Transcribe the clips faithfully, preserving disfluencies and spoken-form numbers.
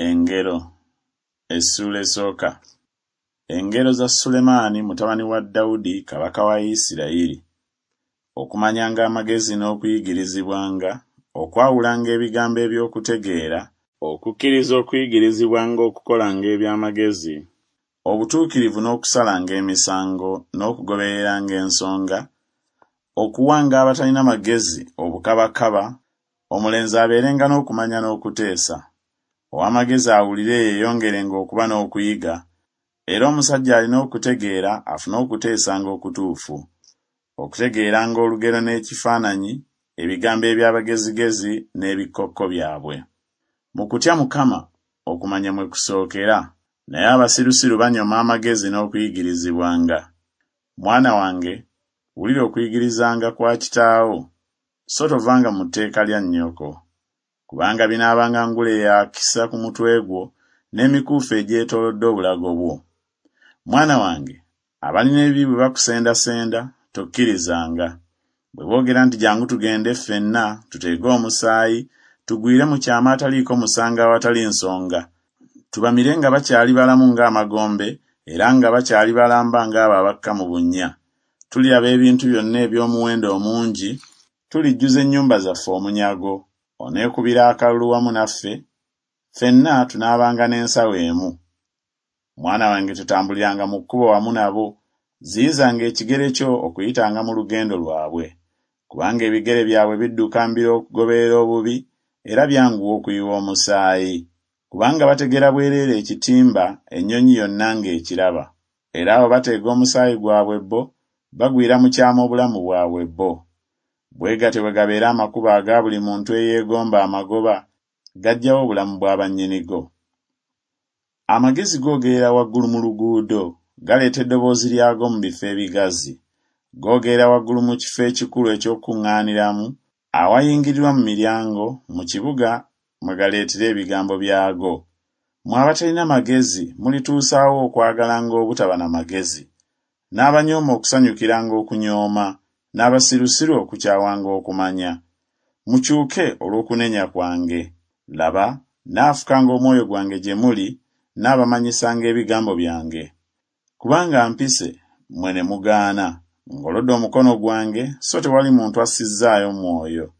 Engero essuula esooka. Engero za Sulemaani mutabani wa Dawudi kabaka wa Isirayiri. Okumanyanga amagezi n'okuyigirizibwanga, okwawulanga ebigambo eby'okutegeera, okukkiriza okuyigirizibwanga okukolanga eby'amagezi, obutuukirivu n'okusalanga emisango n'okugobereranga ensonga, okuwanga abatalina magezi obukabakaba, omulenzi abeerenga n'okumanya n'okuteesa. Ow'amagezi awulire yeeyongerenga okuba n'okuyiga, era omusajja alina okutegeera afune okuteesanga okutuufu. Okutegeeranga olugero n'ekifaananyi, ebigambo eby'abagezigezi n'ebikkokko byabwe. Mu kutya Mukama okumanya mwe kusookera, naye abasirusiru banyooma amagezi n'okuyigirizibwanga. Mwana wange, wulira okuyigirizanga kwa kitaawo, so tovanga mu tteeka lya nnyoko. Kubanga binaabanga ngule ya kisa ku mutwe gwo, n'emikuufu egyetoolodde obulago bwo. Mwana wange, abalina ebibi bwe bakusendasenda, tokkirizanga. Bwe boogera nti Jjangu tugende ffenna tuteege omusaayi, tugwire mu kyama ataliiko musango awatali nsonga, tubamire nga bakyali balamu ng'amagombe, era nga bakyali balamba ng'abo abakka mu bunnya. Tuliraba ebintu byonna eby'omuwendo omungi, tulijjuza ennyumba zaffe omunyago. Oneekubira akalulu wamu naffe? Ffenna tunaabanga n'ensawo emu. Mwana wange totambuliranga mu kkubo wamu nabo, ziyizanga ekigere kyo okuyitanga mu lugendo lwabwe. Kubanga ebigere byabwe bidduka mbiro okugoberera obubi, era byanguwa okuyiwa omusaayi. Kubanga bategera bwereere ekitimba ennyonyi yonna ng'ekiraba. Era abo bateega omusaayi gwabwe bo, bagwira mu kyama obulamu bwabwe bo. Bwe gatyo bwe gabeera amakubo aga buli muntu eyeegomba amagoba, gaggyawo obulamu bwa bannyinigo. Amagezi googerera waggulu mu luguudo, galeeta eddoboozi lyago mu bifo ebigazi. Googerera waggulu mu kifo ekikulu eky'okukuŋŋaaniramu, awayingirirwa mu miryango, mu kibuga mwe galeetera ebigambo byago. Mmwe abatalina magezi mulituusa wa okwagalanga obutaba na magezi, n'abanyooma okusanyukiranga okunyooma, n'abasirusiru okukyawanga okumanya? Mukyuke olw'okunenya kwange. Laba, nnaafukanga omwoyo gwange gye muli, nnaabamanyisanga ebigambo byange. Kubanga mpise, mmwe ne mugaana, ngolodde omukono gwange, so tewali muntu assizzaayo mwoyo.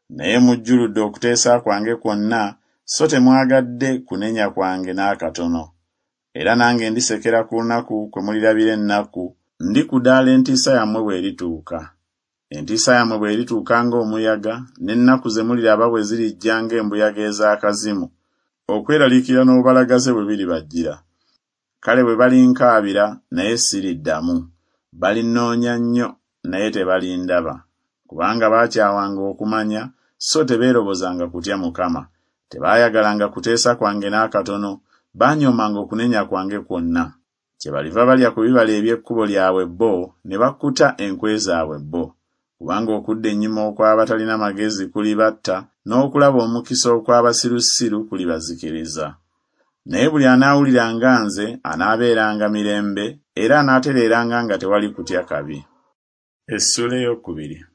Naye mujjuludde okuteesa kwange kwonna, so temwagadde kunenya kwange n'akatono. Era nange ndisekera ku lunaku kwe mulirabira ennaku, ndikudaala entiisa yammwe bw'erituuka. Entiisa yammwe bw'erituuka ng'omuyaga, n'ennaku ze muliraba bwe zirijja ng'embuyaga ez'akazimu, okweraliikirira n'obubalagaze bwe biribajjira. Kale bwe balinkaabira, naye siriddamu, balinnoonya nnyo, naye tebalindaba. Kubanga baakyawanga okumanya, so tebeerobozanga kutya Mukama. Tebaayagalanga kuteesa kwange n'akatono, baanyoomanga okunenya kwange kwonna. Kyebaliva balya ku bibala eby'ekkubo lyabwe bo, ne bakkuta enkwe zaabwe bo. Kubanga okudda ennyuma okw'abatalina magezi kulibatta, n'okulaba omukisa okw'abasirusiru kulibazikiriza. Naye buli anaawuliranga nze anaabeeranga mirembe, era anaatereeranga nga tewali kutya kabi. Essuula ey'okubiri.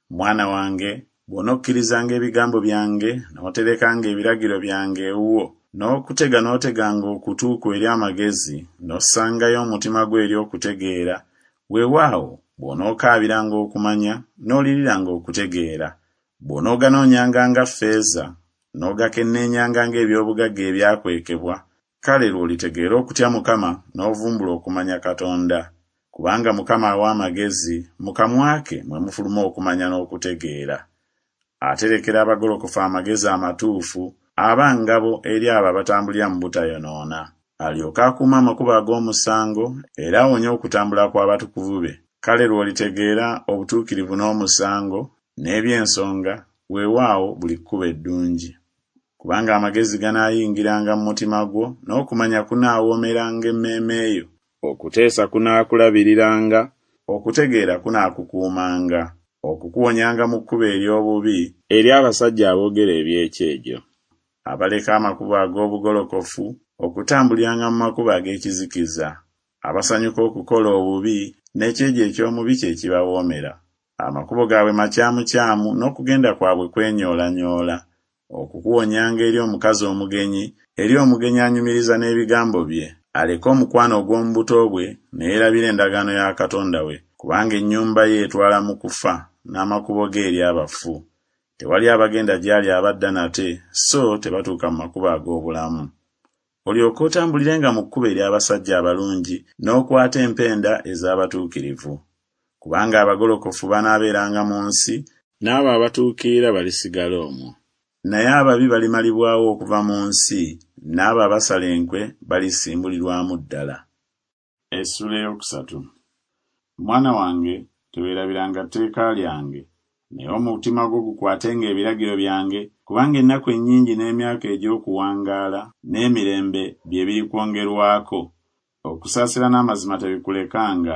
Mwana wange, bw'onokkirizanga ebigambo byange, n'oterekanga ebiragiro byange ewuwo, n'okutega n'oteganga okutu kwo eri amagezi, n'ossangayo omutima gwo eri okutegeera, weewaawo, bw'onookaabiranga okumanya, n'oliriranga okutegeera, bw'onooganoonyanga nga ffeeza, n'ogakenneenyanga ng'eby'obugagga ebyakwekebwa, kale lw'olitegeera okutya Mukama, n'ovumbula okumanya Katonda. Kubanga Mukama awa amagezi, mu kamwa ke mwe mufuluma okumanya n'okutegeera. Aterekera abagolokofu amagezi amatuufu, aba ngabo eri abo abatambulira mu butayonoona. Alyoke akuume amakubo ag'omusango, era awonye okutambula kw'abatukuvu be. Kale lw'olitegeera obutuukirivu n'omusango, n'eby'ensonga, weewaawo buli kkubo eddungi. Kubanga amagezi ganaayingiranga mu mutima gwo, n'okumanya kunaawoomeranga emmeeme yo. Okuteesa kunaakulabiriranga, okutegeera kunaakukuumanga, okukuwonyanga mu kkubo ery'obubi, eri abasajja aboogera eby'ekyejo, abaleka amakubo ag'obugolokofu okutambuliranga mu makubo ag'ekizikiza, abasanyuka okukola obubi, n'ekyejo eky'omubi kye kibawoomera. Amakubo gaabwe makyamukyamu, n'okugenda kwabwe kwenyoolanyoola. Okukuwonyanga eri omukazi omugenyi, eri omugenyi anyumiriza n'ebigambo bye, aleke omukwano ogw'omu buto bwe, ne yeerabira endagaano ya Katonda we, kubanga ennyumba ye etwala mu kufa, n'amakubo ge eri abafu. Tewali abagenda gy'ali abadda nate, so tebatuuka mu makubo ag'obulamu. Olyoke otambulirenga mu kkubo ery'abasajja abalungi, n'okwata empenda ez'abatuukirivu. Kubanga abagolokofu banaabeeranga mu nsi, n'abo abatuukirira balisigala omwo. Naye ababi balimalibwawo okuva mu nsi, n'abo abasala enkwe balisimbulirwamu ddala. Essuula ey'okusatu. Mwana wange, teweerabiranga tteeka lyange, naye omutima gwo gukwatenga ebiragiro byange, kubanga ennaku ennyingi n'emyaka egy'okuwangaala n'emirembe bye birikwongerwako. Okusaasira n'amazima tebikulekanga,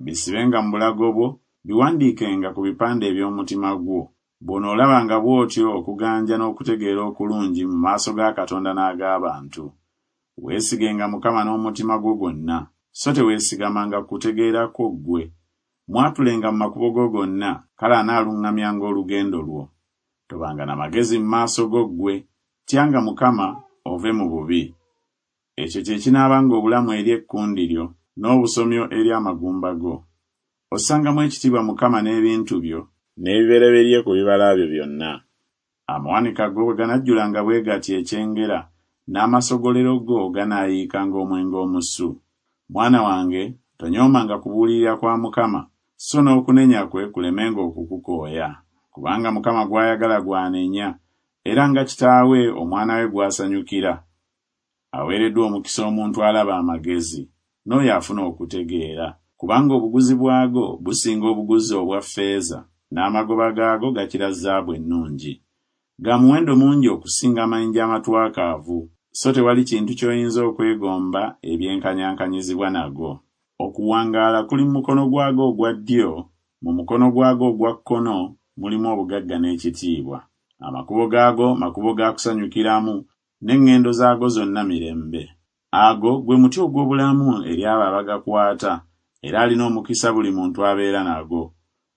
bisibenga mu bulago bwo, biwandiikenga ku bipande eby'omutima gwo. Bw'onoolabanga bw'otyo okuganja n'okutegeera okulungi mu maaso ga Katonda n'ag'abantu. Weesigenga Mukama n'omutima gwo gwonna, so teweesigamanga ku kutegeera kwo ggwe. Mwatulenga mu makubo go gonna, kale anaaluŋŋamyanga olugendo lwo. Tobanga na magezi mu maaso go ggwe, tyanga Mukama, ove mu bubi. Ekyo kye kinaabanga obulamu eri ekkundi lyo, n'obusomyo eri amagumba go. Ossangamu ekitiibwa Mukama n'ebintu byo, n'ebibereberye ku bibala byo byonna. Amawanika go bwe ganajjulanga bwe gatyo ekyengera, n'amasogolero go ganaayiikanga omwenge omusu. Mwana wange, tonyoomanga kubuulirira kwa Mukama, so n'okunenya kwe kulemenga okukukooya. Kubanga Mukama gw'ayagala gw'anenya, era nga kitaawe omwana we gw'asanyukira. Aweereddwa omukisa omuntu alaba amagezi, n'oyo afuna okutegeera, kubanga obuguzi bwago businga obuguzi obwa ffeeza, n'amagoba gaago gakira zaabu ennungi. Ga muwendo mungi okusinga amayinja amatwakaavu, so tewali kintu ky'oyinza okwegomba ebyenkanyankanyizibwa nago. Okuwangaala kuli mu mukono gwago ogwa ddyo, mu mukono gwago ogwa kkono mulimu obugagga n'ekitiibwa. Amakubo gaago makubo ga kusanyukiramu, n'eŋŋendo zaago zonna mirembe. Ago gwe muti ogw'obulamu eri abo abagakwata, era alina omukisa buli muntu abeera nago.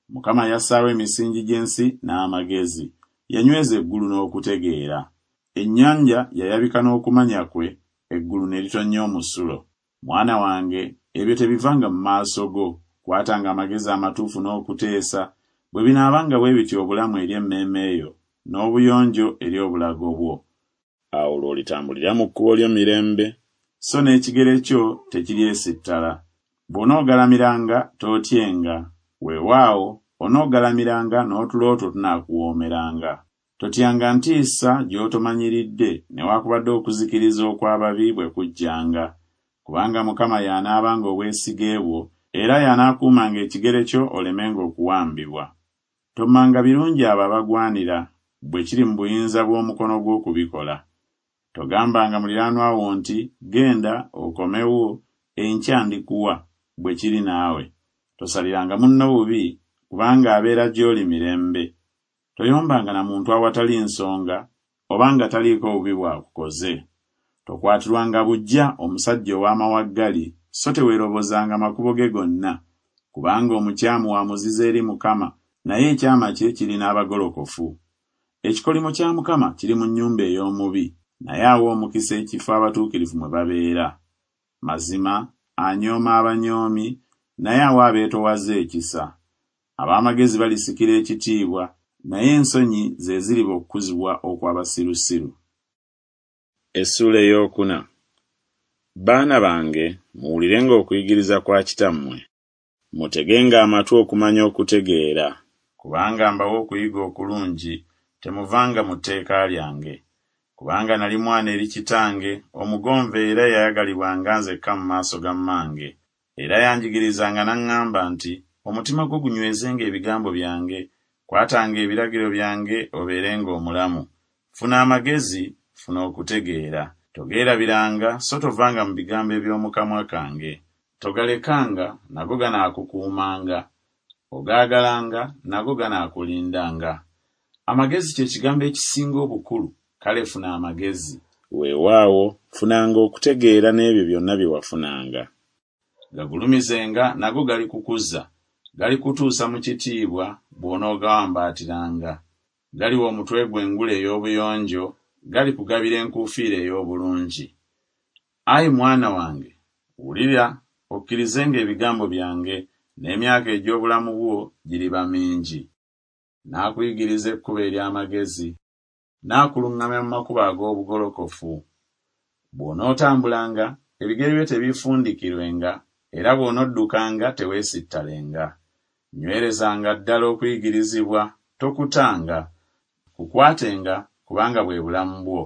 Mukama yassaawo emisingi gy'ensi n'amagezi, yanyweza eggulu n'okutegeera. Ennyanja yayabika n'okumanya kwe, eggulu ne litonnya omusulo. Mwana wange, ebyo tebivanga mu maaso go, kwatanga amagezi amatuufu n'okuteesa, bwe binaabanga bwe bityo obulamu eri emmeeme yo, n'obuyonjo eri obulago bwo. Awo lw'olitambulira mu kkubo lyo mirembe, so n'ekigere kyo tekiryesittala. Bw'onoogalamiranga tootyenga, weewaawo onoogalamiranga n'otulo two tunaakuwoomeranga. Totyanga ntiisa gy'otomanyiridde, newaakubadde okuzikiriza okw'ababi bwe kujjanga. Kubanga Mukama y'anaabanga obwesige bwo, era y'anaakuumanga ekigere kyo olemenga okuwambibwa. Tommanga birungi abo abagwanira, bwe kiri mu buyinza bw'omukono gwo okubikola. Togambanga muliraanwa wo nti, Genda, okomewo, enkya ndikuwa, bwe kiri naawe. Tosaliranga munno bubi, kubanga abeera gy'oli mirembe. Toyombanga na muntu awatali nsonga, oba nga taliiko bubi bw'akukoze. Tokwatirwanga buggya omusajja ow'amawaggali, so teweerobozanga makubo ge gonna. Kubanga omukyamu wa muzizo eri Mukama, naye ekyama kye kiri n'abagolokofu. Ekikolimo kya Mukama kiri mu nnyumba ey'omubi, naye awa omukisa ekifo abatuukirivu mwe babeera. Mazima anyooma abanyoomi, naye awa abeetoowaze ekisa. Ab'amagezi balisikira ekitiibwa, naye ensonyi ze ziriba okukuzibwa okw'abasirusiru. Essuula ey'okuna. Baana bange, muwulirenga okuyigiriza kwa kitammwe, mutegenga amatu okumanya okutegeera. Kubanga mbawa okuyiga okulungi, temuvanga mu tteeka lyange. Kubanga nali mwana eri kitange, omugonvu era eyayagalibwanga nzekka mu maaso ga mmange. Era yanjigirizanga n'aŋŋamba nti, Omutima gwo gunywezenga ebigambo byange, kwatanga ebiragiro byange obeerenga omulamu. Funa amagezi, funa okutegeera. Togeerabiranga so tovanga mu bigambo eby'omu kamwa kange. Togalekanga, nago ganaakukuumanga, ogaagalanga, nago ganaakulindanga. Amagezi kye kigambo ekisinga obukulu, kale funa amagezi. Weewaawo, funanga okutegeera n'ebyo byonna bye wafunanga. Gagulumizenga, nago galikukuza, galikutuusa mu kitiibwa, bw'onoogawambaatiranga. Galiwa omutwe gwo engule ey'obuyonjo, galikugabira enkuufiira ey'obulungi. Ayi mwana wange, wulira, okkirizenga ebigambo byange, n'emyaka egy'obulamu bwo giriba mingi. Naakuyigiriza ekkubo ery'amagezi, naakuluŋŋamya mu makubo ag'obugolokofu. Bw'onootambulanga, ebigere byo tebiifundikirwenga, era bw'onoddukanga teweesittalenga. Nywerezanga ddala okuyigirizibwa, tokutanga. Kukwatenga, kubanga bwe bulamu bwo.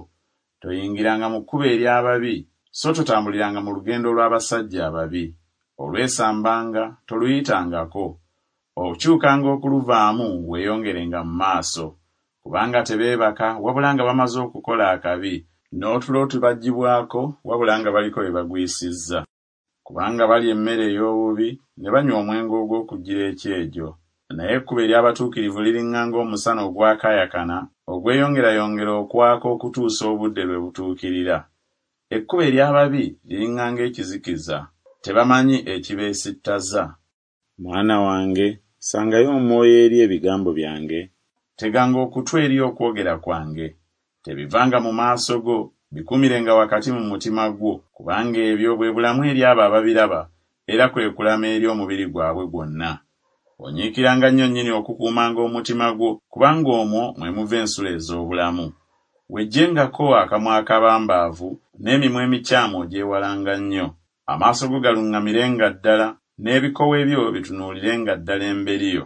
Toyingiranga mu kkubo ery'ababi, so totambuliranga mu lugendo lw'abasajja ababi. Olwesambanga, toluyitangako. Okyukanga okuluvaamu weeyongerenga mu maaso. Kubanga tebeebaka wabula nga bamaze okukola akabi, n'otulo tubaggyibwako wabula nga baliko be bagwisizza. Kubanga balya emmere ey'obubi, ne banywa omwenge ogw'okugira ekyejo. Naye ekkubo ery'abatuukirivu liriŋŋanga omusana ogwakaayakana, ogweyongerayongera okwaka okutuusa obudde lwe butuukirira. Ekkubo ery'ababi liriŋŋanga ekizikiza, tebamanyi ekibeesittaza. Mwana wange, ssangayo omwoyo eri ebigambo byange, teganga okutu eri okwogera kwange. Tebivanga mu maaso go, bikuumirenga wakati mu mutima gwo, kubanga ebyo bwe bulamu eri abo ababiraba, era kwe kulama eri omubiri gwabwe gwonna. Onyiikiranga nnyo nnyini okukuumanga omutima gwo, kubanga omwo mwe muva ensulo ez'obulamu. Weggyengako akamwa akabambaavu, n'emimwa emikyamu ogyewalanga nnyo. Amaaso go galuŋŋamirenga ddala, n'ebikowe byo bitunuulirenga ddala emberi yo.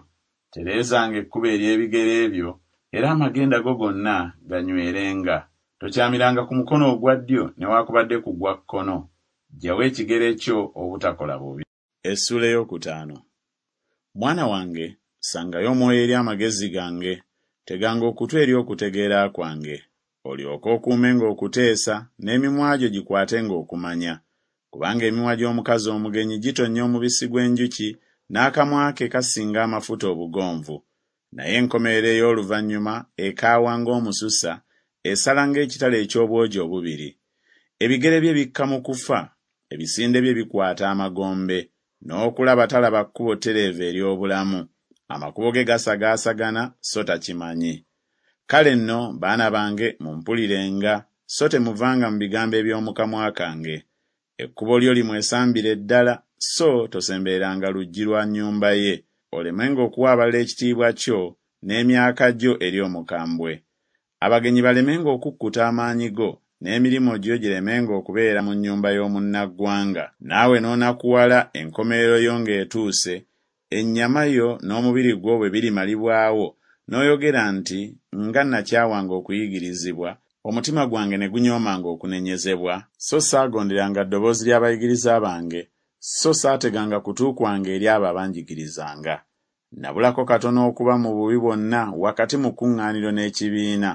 Tereezanga ekkubo ery'ebigere byo, era amagenda go gonna ganywerenga. Tokyamiranga ku mukono ogwa ddyo newaakubadde ku gwa kkono. Ggyawo ekigere kyo obutakola bubi. Essuula ey'okutaano. Mwana wange, ssangayo omwoyo eri amagezi gange, teganga okutu eri okutegeera kwange, olyoke okuumenga okuteesa, n'emimwa gyo gikwatenga okumanya. Kubanga emimwa gy'omukazi omugenyi gitonnya omubisi gw'enjuki, n'akamwa ke kasinga amafuta obugonvu. Naye enkomerero ey'oluvannyuma ekaawa ng'omususa, esala ng'ekitala eky'obwogi obubiri. Ebigere bye bikka mu kufa, ebisinde bye bikwata amagombe. N'okulaba talaba kkubo ttereevu ery'obulamu, amakubo ge gasagaasagana so takimanyi. Kale nno, baana bange, mumpulirenga, so temuvanga mu bigambo eby'omu kamwa kange. Ekkubo lyo limwesambire ddala, so tosembereranga luggi lwa nnyumba ye, olemenga okuwa abalala ekitiibwa kyo, n'emyaka gyo eri omukambwe. Abagenyi balemenga okukkuta amaanyi go, n'emirimu gyo giremenga okubeera mu nnyumba y'omunnaggwanga. Naawe n'onakuwala enkomerero yo ng'etuuse, ennyama yo n'omubiri gwo bwe birimalibwawo, n'oyogera nti Nga nakyawanga okuyigirizibwa, omutima gwange ne gunyoomanga okunenyezebwa, so saagonderanga ddoboozi ly'abayigiriza bange, so saateganga kutu kwange eri abo abanjigirizanga. Nabulako katono okuba mu bubi bwonna wakati mu kkuŋŋaaniro n'ekibiina.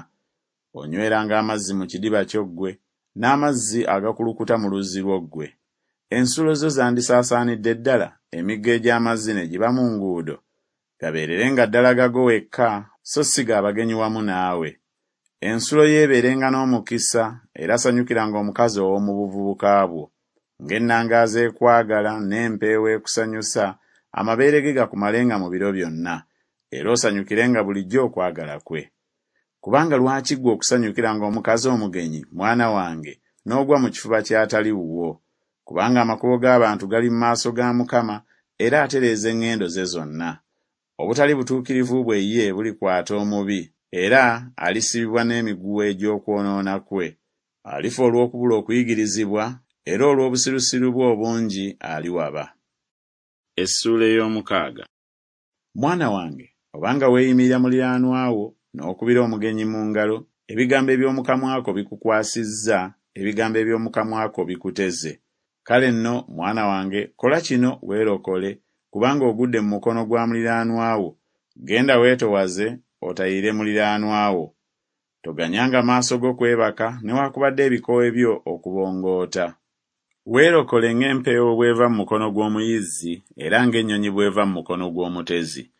Onyweranga amazzi mu kidiba kyo ggwe, n'amazzi agakulukuta mu luzzi lwo ggwe? Ensulo zo zandisaasaanidde ddala, emigga egy'amazzi ne giba mu nguudo? Gabeererenga ddala gago wekka, so si ga bagenyi wamu naawe. Ensulo yo ebeerenga n'omukisa, era sanyukiranga omukazi ow'omu buvubuka bwo. Ng'ennangaazi ekwagala n'empeewo ekusanyusa, amabeere ge gakumalenga mu biro byonna, era osanyukirenga bulijjo okwagala kwe. Kubanga lwaki ggwe okusanyukiranga omukazi omugenyi, mwana wange, n'ogwa mu kifuba ky'atali wuwo? Kubanga amakubo g'abantu gali mu maaso ga Mukama, era atereeza eŋŋendo ze zonna. Obutali butuukirivu bwe ye bulikwata omubi, era alisibibwa n'emiguwa egy'okwonoona kwe. Alifa olw'okubula okuyigirizibwa, era olw'obusirusiru bwe obungi aliwaba. Essuula ey'omukaaga. Mwana wange, obanga weeyimirira muliraanwa wo, n'okubira omugenyi mu ngalo, ebigambo eby'omu kamwa ko bikukwasizza, ebigambo eby'omu kamwa ko bikuteze. Kale nno, mwana wange, kola kino weerokole, kubanga ogudde mu mukono gwa muliraanwa wo. Genda weetowaze, otayirire muliraanwa wo. Toganyanga maaso go kwebaka, newaakubadde ebikowe byo okubongoota. Weerokole ng'empeewo bw'eva mu mukono gw'omuyizzi, era ng'ennyonyi bw'eva mu mukono gw'omutezi.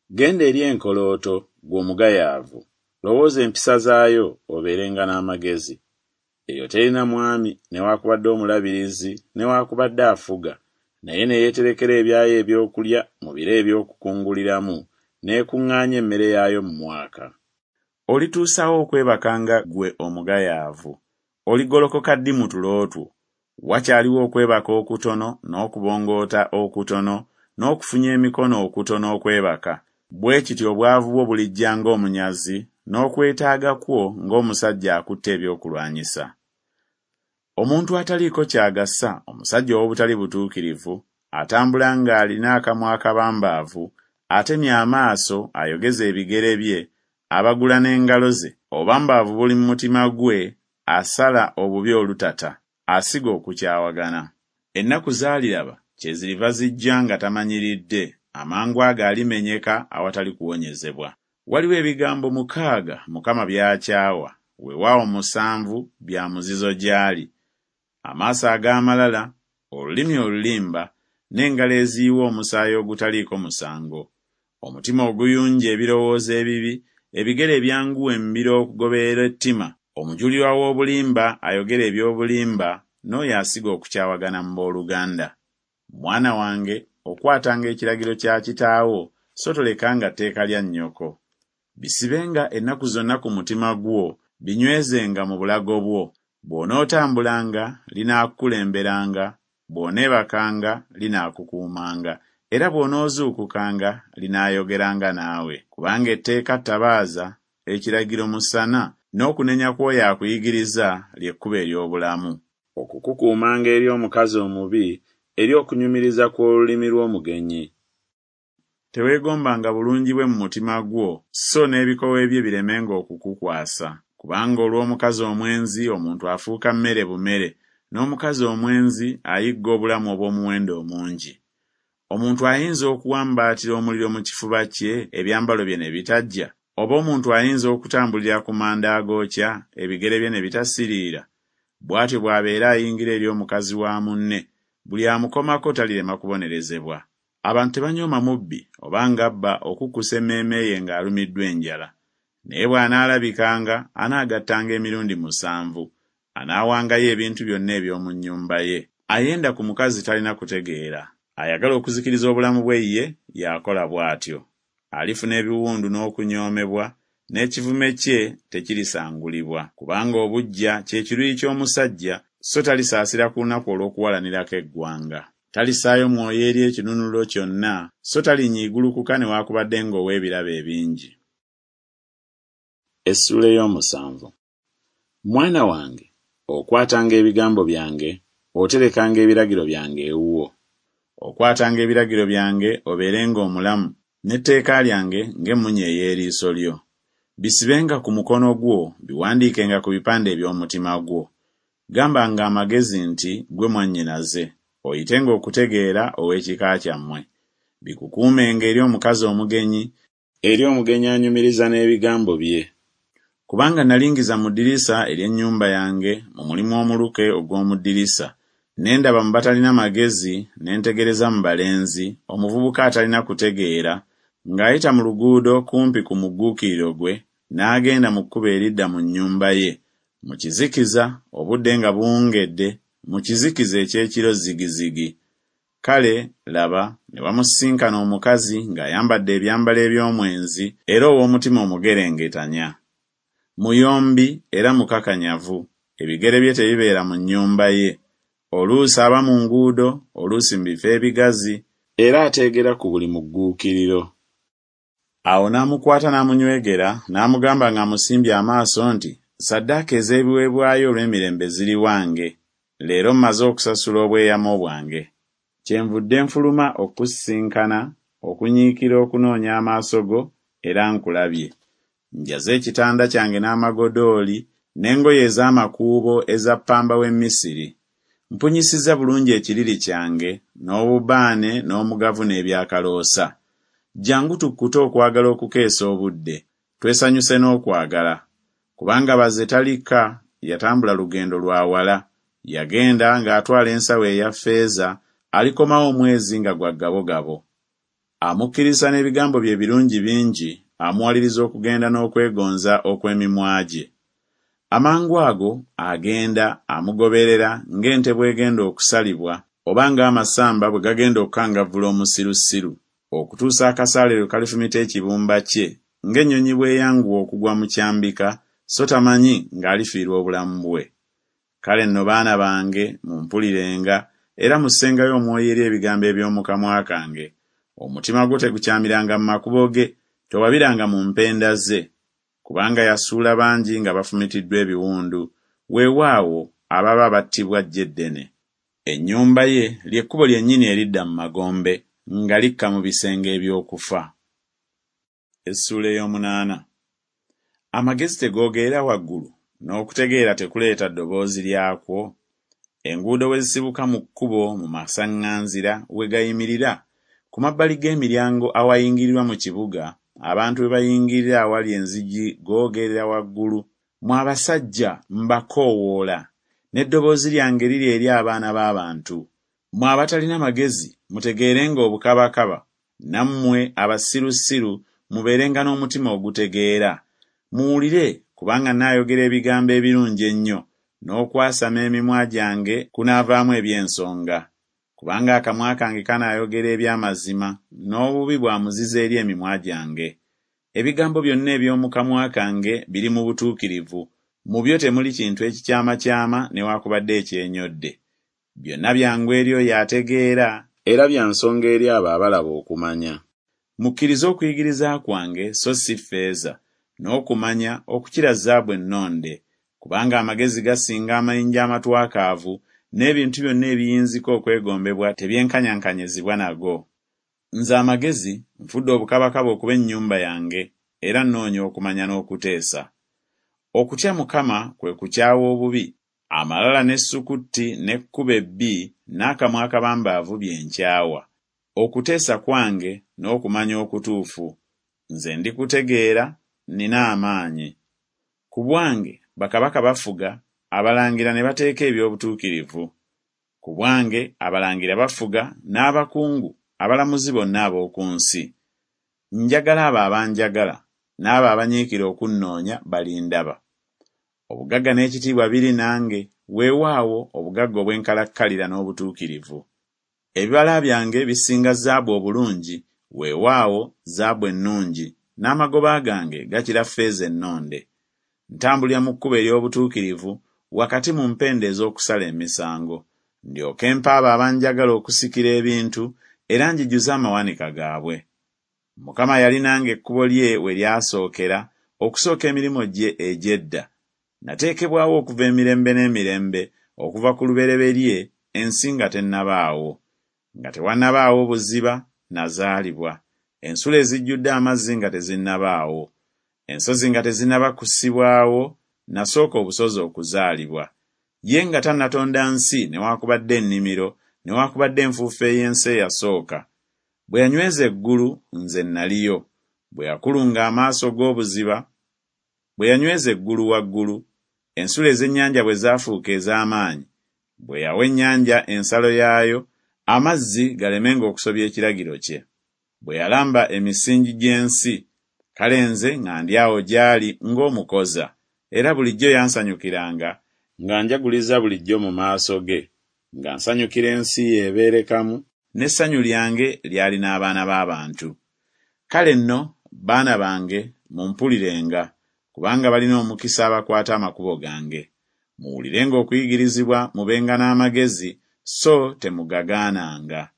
Genda eri enkolooto, ggwe omugayaavu, lowooza empisa zaayo, obeerenga n'amagezi. Eyo terina mwami newakubadde omulabirizi newakubadde afuga, naye ne yeeterekera ebyayo ebyokulya mu biro eby'okukunguliramu, n'ekuŋŋaanya emmere yaayo mu mwaka. Olituusa wa okwebakanga ggwe omugayaavu? Oligolokoka ddi mu tulo two? Wakyaliwo okwebaka okutono, n'okubongoota okutono, n'okufunya emikono okutono okwebaka. Bwe kityo obwavu bwo bulijja ng'omunyazi, n'okwetaaga kwo ng'omusajja akutte ebyokulwanyisa. Omuntu ataliiko ky'agasa, omusajja ow'obutali butuukirivu, atambula ng'alina akamwa akabambaavu, atemya amaaso, ayogeza ebigere bye, abagula n'engalo ze, obubambaavu buli mu mutima gwe, asala obubi olutata, asiga okukyawagana. Ennaku z'aliraba kyeziriva zijja nga tamanyiridde, amangu ago alimenyeka awatali kuwonyezebwa. Waliwo ebigambo mukaaga Mukama by'akyawa, weewaawo musanvu bya muzizo gy'ali: amaaso ag'amalala, olulimi olulimba, n'engalo eziyiwa omusaayi ogutaliiko musango, omutima oguyunja ebirowoozo ebibi, ebigere ebyanguwa embiro okugoberera ettima, omujulirwa w'obulimba ayogera eby'obulimba, n'oyo asiga okukyawagana mu booluganda. Mwana wange, okwatanga ekiragiro kya kitaawo, so tolekanga tteeka lya nnyoko. Bisibenga ennaku zonna ku mutima gwo, binywezenga mu bulago bwo. Bw'onootambulanga, linaakukulemberanga, bw'oneebakanga, linaakukuumanga, era bw'onoozuukukanga, linaayogeranga naawe. Kubanga etteeka ttabaaza, ekiragiro musana, n'okunenya kw'oyo akuyigiriza lye kkubo ery'obulamu. Okukukuumanga eri omukazi omubi, eri okunyumiriza kw'olulimi lw'omugenyi. Teweegombanga bulungi bwe mu mutima gwo, so n'ebikowe bye biremenga okukukwasa. Kubanga olw'omukazi omwenzi omuntu afuuka mmere bumere, n'omukazi omwenzi ayigga obulamu obw'omuwendo omungi. Omuntu ayinza okuwambaatira omuliro mu kifuba kye, ebyambalo bye ne bitaggya? Oba omuntu ayinza okutambulira ku manda agookya, ebigere bye ne bitasiriira? Bw'atyo bw'abeera ayingira eri omukazi wa munne, buli amukomako talirema kubonerezebwa. Abantu tebanyooma mubbi oba ng'abba okukkusa emmeeme ye ng'alumiddwa enjala. Naye bw'anaalabikanga, anaagattanga emirundi musanvu, anaawangayo ebintu byonna eby'omu nnyumba ye. Ayenda ku mukazi talina kutegeera, ayagala okuzikiriza obulamu bwe ye, y'akola bw'atyo. Alifuna ebiwundu n'okunyoomebwa, n'ekivume kye tekirisangulibwa. Kubanga obuggya kye kiruyi ky'omusajja, so talisaasira ku lunaku olw'okuwalanirako eggwanga. Talissaayo mwoyo eri ekinunulo kyonna, so talinyiigulukuka newaakubadde ng'ow'ebirabo ebingi. Essuula ey'omusanvu. Mwana wange, okwatanga ebigambo byange, oterekanga ebiragiro byange ewuwo. Okwatanga ebiragiro byange obeerenga omulamu, n'etteeka lyange ng'emmunye ey'eriiso lyo. Bisibenga ku mukono gwo, biwandiikenga ku bipande eby'omutima gwo. Gambanga amagezi nti, Ggwe mwannyinaze, oyitenga okutegeera ow'ekika kyammwe. Bikukuumenga eri omukazi omugenyi, eri omugenyi anyumiriza n'ebigambo bye. Kubanga nalingiza mu ddirisa ery'ennyumba yange, mu mulimu omuluke ogw'omu ddirisa, ne ndaba mu batalina magezi, ne ntegereza mu balenzi, omuvubuka atalina kutegeera, ng'ayita mu luguudo kumpi ku mugguukiriro gwe, n'agenda mu kkubo eridda mu nnyumba ye, mu kizikiza, obudde nga buwungedde, mu kizikiza eky'ekiro zigizigi. Kale, laba, ne wamusisinkana omukazi ng'ayambadde ebyambalo eby'omwenzi era ow'omutima omugerengetanya. Muyombi era mukakanyavu, ebigere bye tebibeera mu nnyumba ye. Oluusi aba mu nguudo, oluusi mu bifo ebigazi, era ateegera ku buli mugguukiriro. Awo n'amukwata n'amunywegera, n'amugamba ng'amusimbye amaaso nti, Ssaddaaka ez'ebiweebwayo olw'emirembe ziri wange. Leero mmaze okusasula obweyamo bwange. Kyenvudde nfuluma okukusisinkana, okunyiikira okunoonya amaaso go, era nkulabye. Njaze ekitanda kyange n'amagodooli, n'engoye ez'amakuubo eza ppamba w'e Misiri. Mpunyisizza bulungi ekiriri kyange, n'obubaane n'omugavu n'ebyakaloosa. Jjangu tukkute okwagala okukeesa obudde, twesanyuse n'okwagala. Kubanga baze talika, yatambula lugendo lwa wala. Yagenda ng'atwala ensawo eya ffeeza, alikomawo omwezi nga gwa gabogabo. Amukkiriza n'ebigambo bye ebirungi bingi, amuwaliriza okugenda n'okwegonza okw'emimwa gye. Amangu ago agenda, amugoberera ng'ente bw'egenda okusalibwa, oba ng'amasamba bwe gagenda okukangavvula omusirusiru, okutuusa akasaale lwe kalifumita ekibumba kye, ng'ennyonyi bw'eyanguwa okugwa mu kyambika, so tamanyi ng'alifiirwa obulamu bwe. Kale nno baana bange, mumpulirenga, era mussengayo omwoyo eri ebigambo eby'omu kamwa kange. Omutima gwo tegukyamiranga mu makubo ge, towabiranga mu mpenda ze. Kubanga yasuula bangi nga bafumitiddwa ebiwundu, weewaawo ababa battibwa ggye ddene. Ennyumba ye lye kkubo lyennyini eridda mu magombe, nga likka mu bisenge eby'okufa. Essuula ey'omunaana. Amagezi tegoogerera waggulu, n'okutegeera tekuleeta ddoboozi lyakwo? Enguudo we zisibuka mu kkubo mu masaŋŋanzira we gayimirira, ku mabbali g'emiryango awayingirirwa mu kibuga, abantu we bayingirira awali enzigi googerera waggulu. Mmwe abasajja mbakoowoola, n'eddoboozi lyange liri eri abaana b'abantu. Mmwe abatalina magezi mutegeerenga obukabakaba, nammwe abasirusiru mubeerenga n'omutima ogutegeera. Muwulire, kubanga nnaayogera ebigambo ebirungi ennyo, n'okwasama emimwa gyange kunaavaamu eby'ensonga. Kubanga akamwa kange kanaayogera eby'amazima, n'obubi bwa muzizo eri emimwa gyange. Ebigambo byonna eby'omu kamwa kange biri mu butuukirivu, mu byo temuli kintu ekikyamakyama newaakubadde ekyenyodde. Byonna byangu eri oyo ategeera, era bya nsonga eri abo abalaba okumanya. Mukkirize okuyigiriza kwange so si ffeeza, n'okumanya okukira zaabu ennonde. Kubanga amagezi gasinga amayinja amatwakaavu, n'ebintu byonna ebiyinzika okwegombebwa tebyenkanyankanyizibwa nago. Nze amagezi nfudde obukabakaba okuba ennyumba yange, era nnoonya okumanya n'okuteesa. Okutya Mukama kwe kukyawa obubi, amalala n'essukutti n'ekkubo ebbi n'akamwa akabambaavu bye nkyawa. Okuteesa kwange n'okumanya okutuufu, nze ndikutegeera, nnina amaanyi. Ku bwange bakabaka bafuga, abalangira ne bateeka eby'obutuukirivu. Ku bwange abalangira bafuga n'abakungu, abalamuzi bonna ab'oku nsi. Njagala abo abanjagala, n'abo abanyiikira okunnoonya balindaba. Obugagga n'ekitiibwa biri nange, weewaawo obugagga obw'enkalakkalira n'obutuukirivu. Ebibala byange bisinga zaabu obulungi, weewaawo zaabu ennungi, n'amagoba gange gakira ffeeza ennonde. Ntambulira mu kkubo ery'obutuukirivu, wakati mu mpenda ez'okusala emisango, ndyoke mpe abo abanjagala okusikira ebintu, era njijuze amawanika gaabwe. Mukama yali nange ekkubo lye we lyasookera, okusooka emirimu gye egy'edda. Nateekebwawo okuva emirembe n'emirembe, okuva ku lubereberye, ensi nga tennabaawo. Nga tewannabaawo buziba, nazaalibwa, ensulo ezijjudde amazzi nga tezinnabaawo. Ensozi nga tezinnaba kussibwawo, nasooka obusozi okuzaalibwa. Ye nga tannatonda nsi newaakubadde ennimiro, newaakubadde enfuufu ey'ensi eyasooka. Bwe yanyweza eggulu, nze naliyo. Bwe yakulunga amaaso g'obuziba, bwe yanyweza eggulu waggulu, ensulo ez'ennyanja bwe zaafuuka ez'amaanyi, bwe yawa ennyanja ensalo yaayo, amazzi galemenga okusobya ekiragiro kye. Bwe yalamba emisingi gy'ensi, kale nze nga ndi awo gy'ali ng'omukoza, era bulijjo yansanyukiranga, nga njaguliza bulijjo mu maaso ge, nga nsanyukira ensi ye ebeerekamu, n'essanyu lyange lyali n'abaana b'abantu. Kale nno, baana bange, mumpulirenga, kubanga balina omukisa abakwata amakubo gange. Muwulirenga okuyigirizibwa mubenga n'amagezi, so temugagaananga.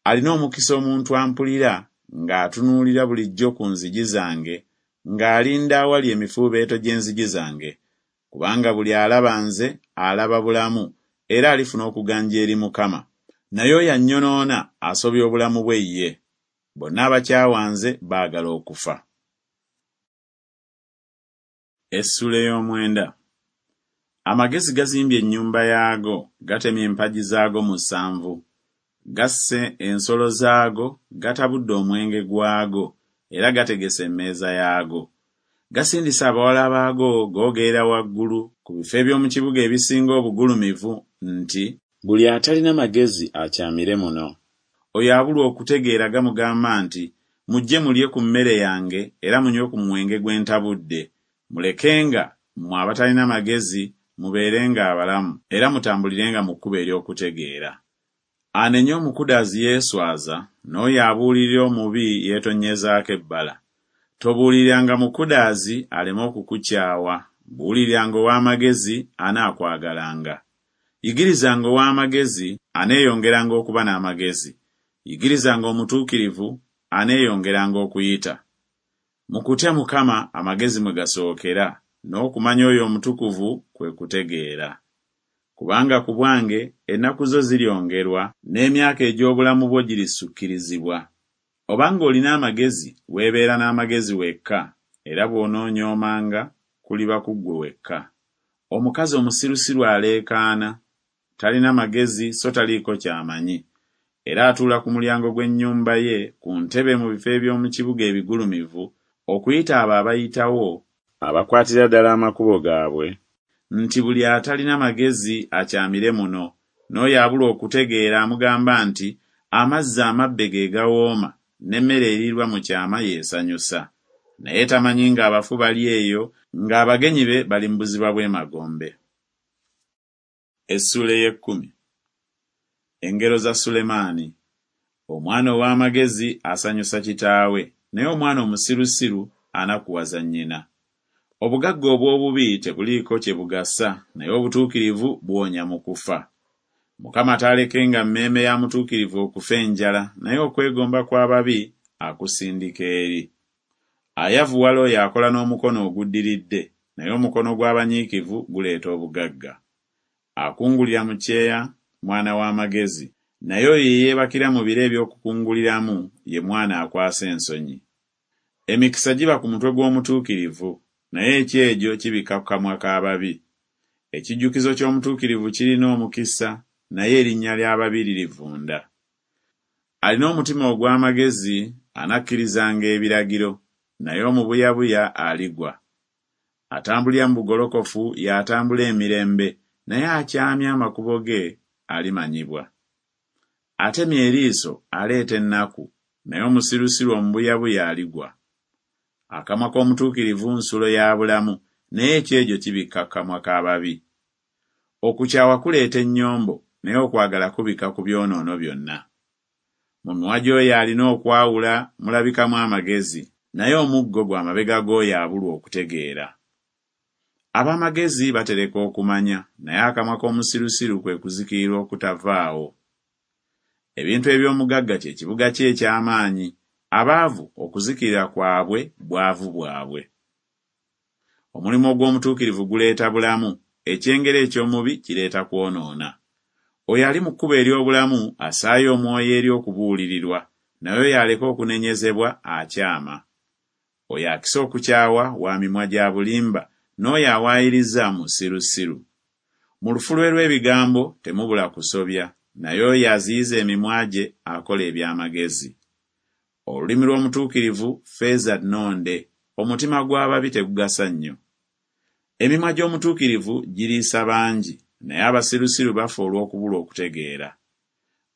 Alina omukisa omuntu ampulira, ng'atunuulira bulijjo ku nzigi zange, ng'alinda awali emifuubeeto gy'enzigi zange. Kubanga buli alaba nze alaba bulamu, era alifuna okuganja eri Mukama. Naye oyo annyonoona asobya obulamu bwe ye. Bonna abakyawa nze baagala okufa. Essuula ey'omwenda. Amagezi gazimbye ennyumba yaago, gatemye empagi zaago musanvu. Gasse ensolo zaago, gatabudde omwenge gwago, era gategese emmeeza yaago. Gasindise abawala baago googerera waggulu ku bifo eby'omu kibuga ebisinga obugulumivu nti, Buli atalina magezi akyamire muno. Oyo abulwa okutegeera gamugamba nti, Mujje mulye ku mmere yange era munywe ku mwenge gwe ntabudde. Mulekenga, mmwe abatalina magezi, mubeerenga abalamu, era mutambulirenga mu kkubo ery'okutegeera. Anenya omukudaazi yeeswaza, n'oyo abuulirira omubi yeetonnyezaako ebbala. Tobuuliriranga mukudaazi aleme okukukyawa, buuliriranga ow'amagezi anaakwagalanga. Yigirizanga ow'amagezi aneeyongeranga okuba n'amagezi, yigirizanga omutuukirivu aneeyongeranga okuyita. Mu kutya Mukama amagezi mwe gasookera, n'okumanya oyo omutukuvu kwe kutegeera. Kubanga ku bwange ennaku zo ziryongerwa, n'emyaka egy'obulamu bwo girisukkirizibwa. Obanga olina amagezi weebeera n'amagezi wekka, era bw'onoonyoomanga kuliba ku ggwe wekka. Omukazi omusirusiru aleekaana, talina magezi so taliiko ky'amanyi, era atuula ku mulyango gw'ennyumba ye ku ntebe mu bifo eby'omu kibuga ebigulumivu okuyita abo abayitawo, abakwatira ddala amakubo gaabwe, nti buli atalina magezi akyamire muno, n'oyo abulwa okutegeera amugamba nti amazzi amabbe ge gawooma, n'emmere eriirwa mu kyama y'esanyusa. Naye tamanyi ng'abafu bali eyo, ng'abagenyi be bali mu buziba bw'emagombe. Essuula ey'ekkumi. Engero za Sulemaani. Omwana ow'amagezi asanyusa kitaawe, naye omwana omusirusiru anakuwaza nnyina. Obugagga obw'obubi tebuliiko kye bugasa, naye obutuukirivu buwonya mu kufa. Mukama taalekenga mmeeme ya mutuukirivu okufa enjala, naye okwegomba kw'ababi akusindika eri. Ayavuwala oyo akola n'omukono oguddiridde, naye omukono gw'abanyiikivu guleeta obugagga. Akungulira mu kyeya mwana w'amagezi, naye oyo eyeebakira mu biro eby'okukunguliramu ye mwana akwasa ensonyi. Emikisa giba ku mutwe gw'omutuukirivu, naye ekyejo kibikka ku kamwa k'ababi. Ekijjukizo ky'omutuukirivu kirina omukisa, naye erinnya ly'ababi lirivunda. Alina omutima ogw'amagezi anakkirizanga ebiragiro, naye omubuyabuya aligwa. Atambulira mu bugolokofu y'atambula emirembe, naye akyamya amakubo ge alimanyibwa. Atemya eriiso aleeta ennaku, naye omusirusiru omubuyabuya aligwa. Akamwa k'omutuukirivu nsulo ya bulamu, naye ekyejo kibikka ku kamwa k'ababi. Okukyawa kuleeta ennyombo, naye okwagala kubikka ku byonoono byonna. Mu mimwa gy'oyo alina okwawula mulabikamu amagezi, naye omuggo gwa mabega g'oyo abulwa okutegeera. Ab'amagezi batereka okumanya, naye akamwa k'omusirusiru kwe kuzikirira okutavaawo. Ebintu eby'omugagga kye kibuga kye eky'amaanyi, abaavu okuzikirira kwabwe bwavu bwabwe. Omulimu ogw'omutuukirivu guleeta bulamu, ekyengera eky'omubi kireeta kwonoona. Oyo ali mu kkubo ery'obulamu assaayo omwoyo eri okubuulirirwa, naye oyo aleka okunenyezebwa akyama. Oyo akisa okukyawa wa mimwa gya bulimba, n'oyo awaayiriza musirusiru. Mu lufulwe lw'ebigambo temubula kusobya, naye oyo aziyiza emimwa gye akola eby'amagezi. Olulimi lw'omutuukirivu ffeeza nnonde, omutima gw'ababi tegugasa nnyo. Emimwa gy'omutuukirivu giriisa bangi, naye abasirusiru bafa olw'okubulwa okutegeera.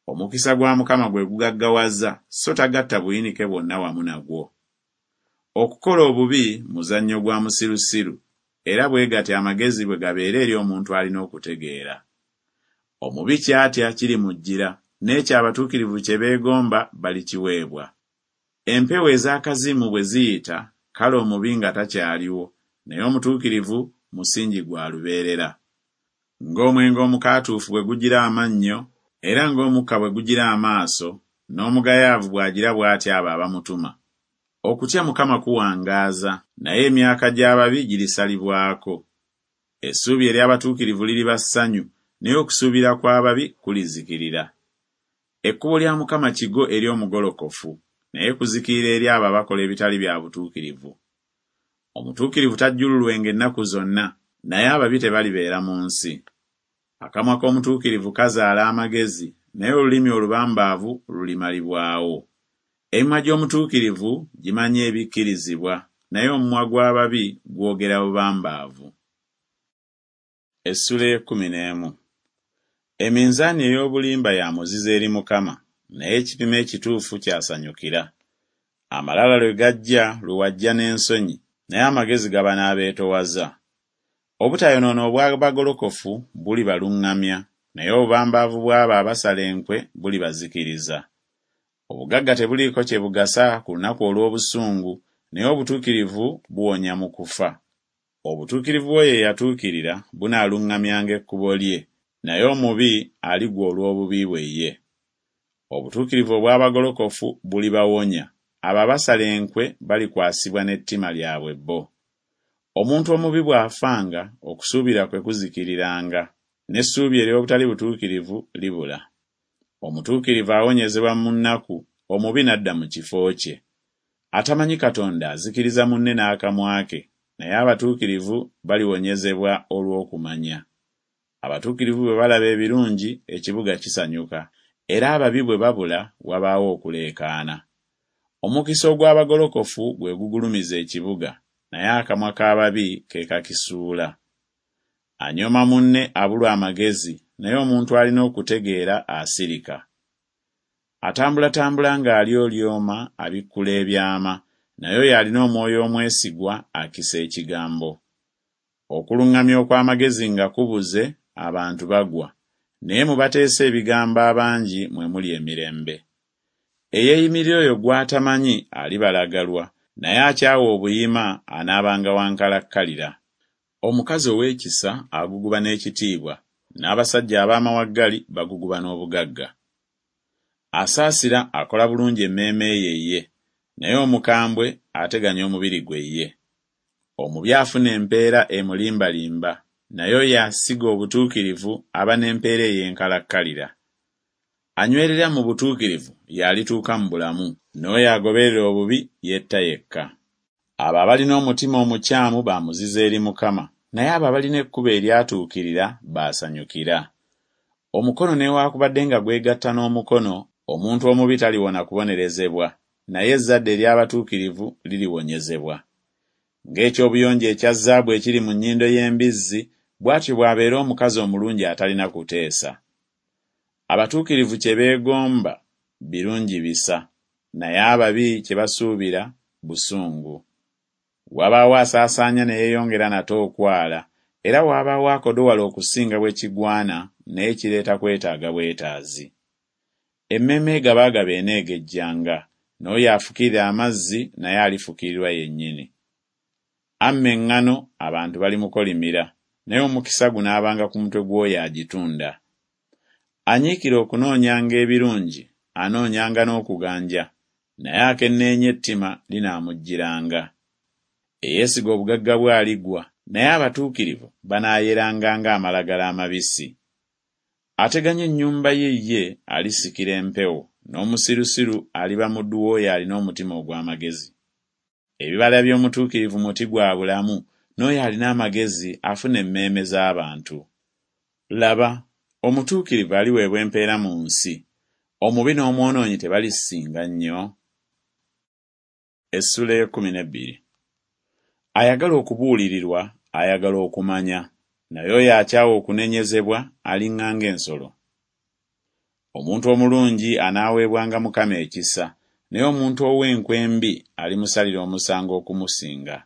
Omukisa gwa Mukama gwe gugaggawaza, so tagatta buyinike bwonna wamu nagwo. Okukola obubi muzannyo gwa musirusiru, era bwe gatyo amagezi bwe gabeera eri omuntu alina okutegeera. Omubi ky'atya kirimujjira, n'ekyo abatuukirivu kye beegomba balikiweebwa. Empewo ez'akazimu bwe ziyita, kale omubi nga takyaliwo, naye omutuukirivu musingi gwa lubeerera. Ng'omwenge omukaatuufu bwe gugira amannyo, era ng'omukka bwe gugira amaaso, n'omugayaavu bw'agira bw'atyo abo abamutuma. Okutya Mukama kuwangaaza, naye emyaka gy'ababi girisalibwako. Essuubi ery'abatuukirivu liriba ssanyu, naye okusuubira kw'ababi kulizikirira. Ekkubo lya Mukama kigo eri omugolokofu, naye kuzikirira eri abo abakola ebitali bya butuukirivu. Omutuukirivu tajjululwenga ennaku zonna, naye ababi tebalibeera mu nsi. Akamwa k'omutuukirivu kazaala amagezi, naye olulimi olubambaavu lulimalibwawo. Emimwa gy'omutuukirivu gimanyi ebikkirizibwa, naye omumwa gw'ababi gwogera bubambaavu. Essuula ey'ekkumi n'emu. Eminzaani ey'obulimba ya muzizo eri Mukama, naye ekipimo ekituufu ky'asanyukira. Amalala lwe gajja lwe wajja n'ensonyi, naye amagezi gaba n'abeetoowaza. Obutayonoona obw'abagolokofu bulibaluŋŋamya, naye obubambaavu bw'abo abasala enkwe bulibazikiriza. Obugagga tebuliiko kye bugasa ku lunaku olw'obusungu, naye obutuukirivu buwonya mu kufa. Obutuukirivu bw'oyo eyatuukirira bunaaluŋŋamyanga ekkubo lye, naye omubi aligwa olw'obubi bwe ye. Obutuukirivu obw'abagolokofu bulibawonya, abo abasala enkwe balikwasibwa n'ettima lyabwe bo. Omuntu omubi bw'afanga, okusuubira kwe kuzikiriranga, n'essuubi ery'obutali butuukirivu libula. Omutuukirivu awonyezebwa mu nnaku, omubi n'adda mu kifo kye. Atamanyi Katonda azikiriza munne n'akamwa ke, naye abatuukirivu baliwonyezebwa olw'okumanya. Abatuukirivu bwe balaba ebirungi, ekibuga kisanyuka, era ababi bwe babula, wabaawo okuleekaana. Omukisa ogw'abagolokofu gwe gugulumiza ekibuga, naye akamwa k'ababi ke kakisuula. Anyooma munne abulwa amagezi, naye omuntu alina okutegeera asirika. Atambulatambula ng'alyolyoma abikkula ebyama, naye oyo alina omwoyo omwesigwa akisa ekigambo. Okuluŋŋamya okw'amagezi nga kubuze, abantu bagwa, naye mu bateesa ebigambo abangi mwe muli emirembe. Eyeeyimirira oyo gw'atamanyi alibalagalwa, naye akyawa obuyima anaabanga wa nkalakkalira. Omukazi ow'ekisa aguguba n'ekitiibwa, n'abasajja ab'amawaggali baguguba n'obugagga. Asaasira akola bulungi emmeeme ye ye, naye omukambwe ateganya omubiri gwe ye. Omubi afuna empeera emulimbalimba, naye oyo asiga obutuukirivu aba n'empeera ey'enkalakkalira. Anywerera mu butuukirivu y'alituuka mu bulamu, n'oyo agoberera obubi yetta yekka. Abo abalina omutima omukyamu ba muzizo eri Mukama, naye abo abalina ekkubo eryatuukirira b'asanyukira. Omukono newaakubadde nga gwegatta n'omukono, omuntu omubi taliwona kubonerezebwa, naye ezzadde ery'abatuukirivu liribonyezebwa. Ng'ekyobuyonjo ekya zaabu ekiri mu nnyindo y'embizzi, bw'atyo bw'abeera omukazi omulungi atalina kuteesa. Abatuukirivu kye beegomba birungi bisa, naye ababi kye basuubira busungu. Wabaawo asaasaanya ne yeeyongera nate okwala, era wabaawo akodowala okusinga bwe kigwana, naye kireeta kwetaaga bwetaazi. Emmeeme egabaagaba eneegejjanga, n'oyo afukirira amazzi naye alifukirirwa yennyini. Amma eŋŋano abantu balimukolimira, naye omukisa gunaabanga ku mutwe gw'oyo agitunda. Anyiikira okunoonyanga ebirungi anoonyanga n'okuganja, naye akenneenya ettima linaamujjiranga. Eyeesiga obugagga bwe aligwa, naye abatuukirivu banaayeranga ng'amalagala amabisi. Ateganya ennyumba ye ye alisikira empewo, n'omusirusiru aliba muddu w'oyo alina omutima ogw'amagezi. Ebibala by'omutuukirivu muti gwa bulamu, n'oyo alina amagezi afuna emmeeme z'abantu. Laba, omutuukirivu aliweebwa empeera mu nsi, omubi n'omwonoonyi tebalisinga nnyo? Essuula ey'ekkumi n'ebbiri. Ayagala okubuulirirwa ayagala okumanya, naye oyo akyawa okunenyezebwa aliŋŋanga ensolo. Omuntu omulungi anaaweebwanga Mukama ekisa, naye omuntu ow'enkwe embi alimusalira omusango okumusinga.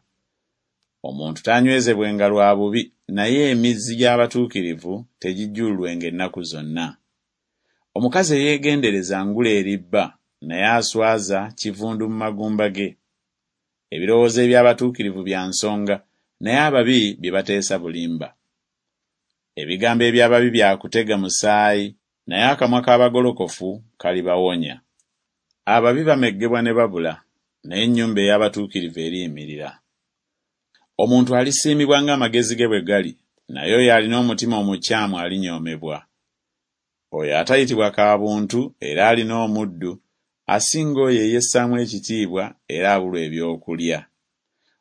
Omuntu taanywezebwenga lwa bubi, naye emizzi gy'abatuukirivu tegijjululwenga ennaku zonna. Omukazi eyeegendereza ngule eri bba, naye aswaza kivundu mu magumba ge. Ebirowoozo eby'abatuukirivu bya nsonga, naye ababi bye bateesa bulimba. Ebigambo eby'ababi bya kutega musaayi, naye akamwa k'abagolokofu kalibawonya. Ababi bameggebwa ne babula, naye ennyumba ey'abatuukirivu eriyimirira. Omuntu alisiimibwa ng'amagezi ge bwe gali, naye oyo alina omutima omukyamu alinyoomebwa. Oyo atayitibwa kaabuntu era alina omuddu, asinga oyo eyessaamu ekitiibwa era abulwa ebyokulya.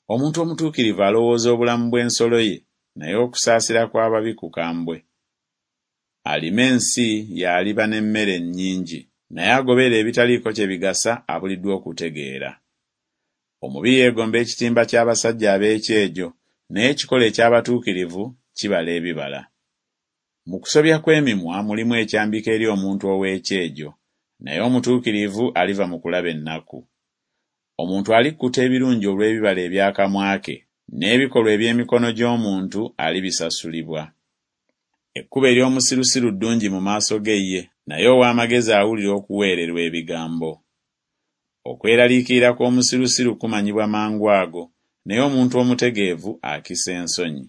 Omuntu omutuukirivu alowooza obulamu bw'ensolo ye, naye okusaasira kw'ababi kukambwe. Alima ensi y'aliba n'emmere nnyingi, naye agoberera ebitaliiko kye bigasa abuliddwa okutegeera. Omubi yeegomba ekitimba ky'abasajja ab'ekyejo, naye ekikolo eky'abatuukirivu kibala ebibala. Mu kusobya kw'emimwa mulimu ekyambika eri omuntu ow'ekyejo, naye omutuukirivu aliva mu kulaba ennaku. Omuntu alikkuta ebirungi olw'ebibala eby'akamwa ke, n'ebikolwa eby'emikono gy'omuntu alibisasulibwa. Ekkubo ery'omusirusiru ddungi mu maaso ge ye, naye ow'amagezi awulira okuweererwa ebigambo. Okweraliikirira kw'omusirusiru kumanyibwa mangu ago, naye omuntu omutegeevu akisa ensonyi.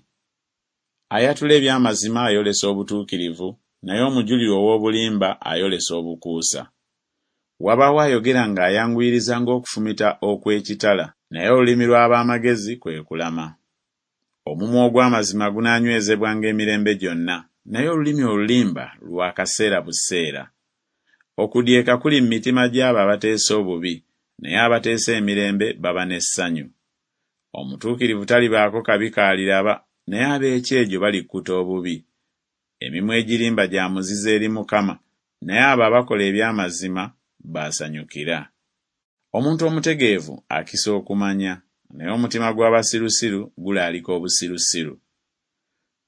Ayatula eby'amazima ayolesa obutuukirivu, naye omujulirwa ow'obulimba ayolesa obukuusa. Wabaawo ayogera ng'ayanguyiriza ng'okufumita okw'ekitala, naye olulimi lw'ab'amagezi kwe kulama. Omumwa ogw'amazima gunaanywezebwanga emirembe gyonna, naye olulimi olulimba lwa kaseera buseera. Okudyeka kuli mu mitima gy'abo abateesa obubi, naye abateesa emirembe baba n'essanyu. Omutuukirivu talibaako kabi k'aliraba, naye ab'ekyejo balikkuta obubi. Emimwa egirimba gya muzizo eri Mukama, naye abo abakola eby'amazima b'asanyukira. Omuntu omutegeevu akisa okumanya, naye omutima gw'abasirusiru gulaalika obusirusiru.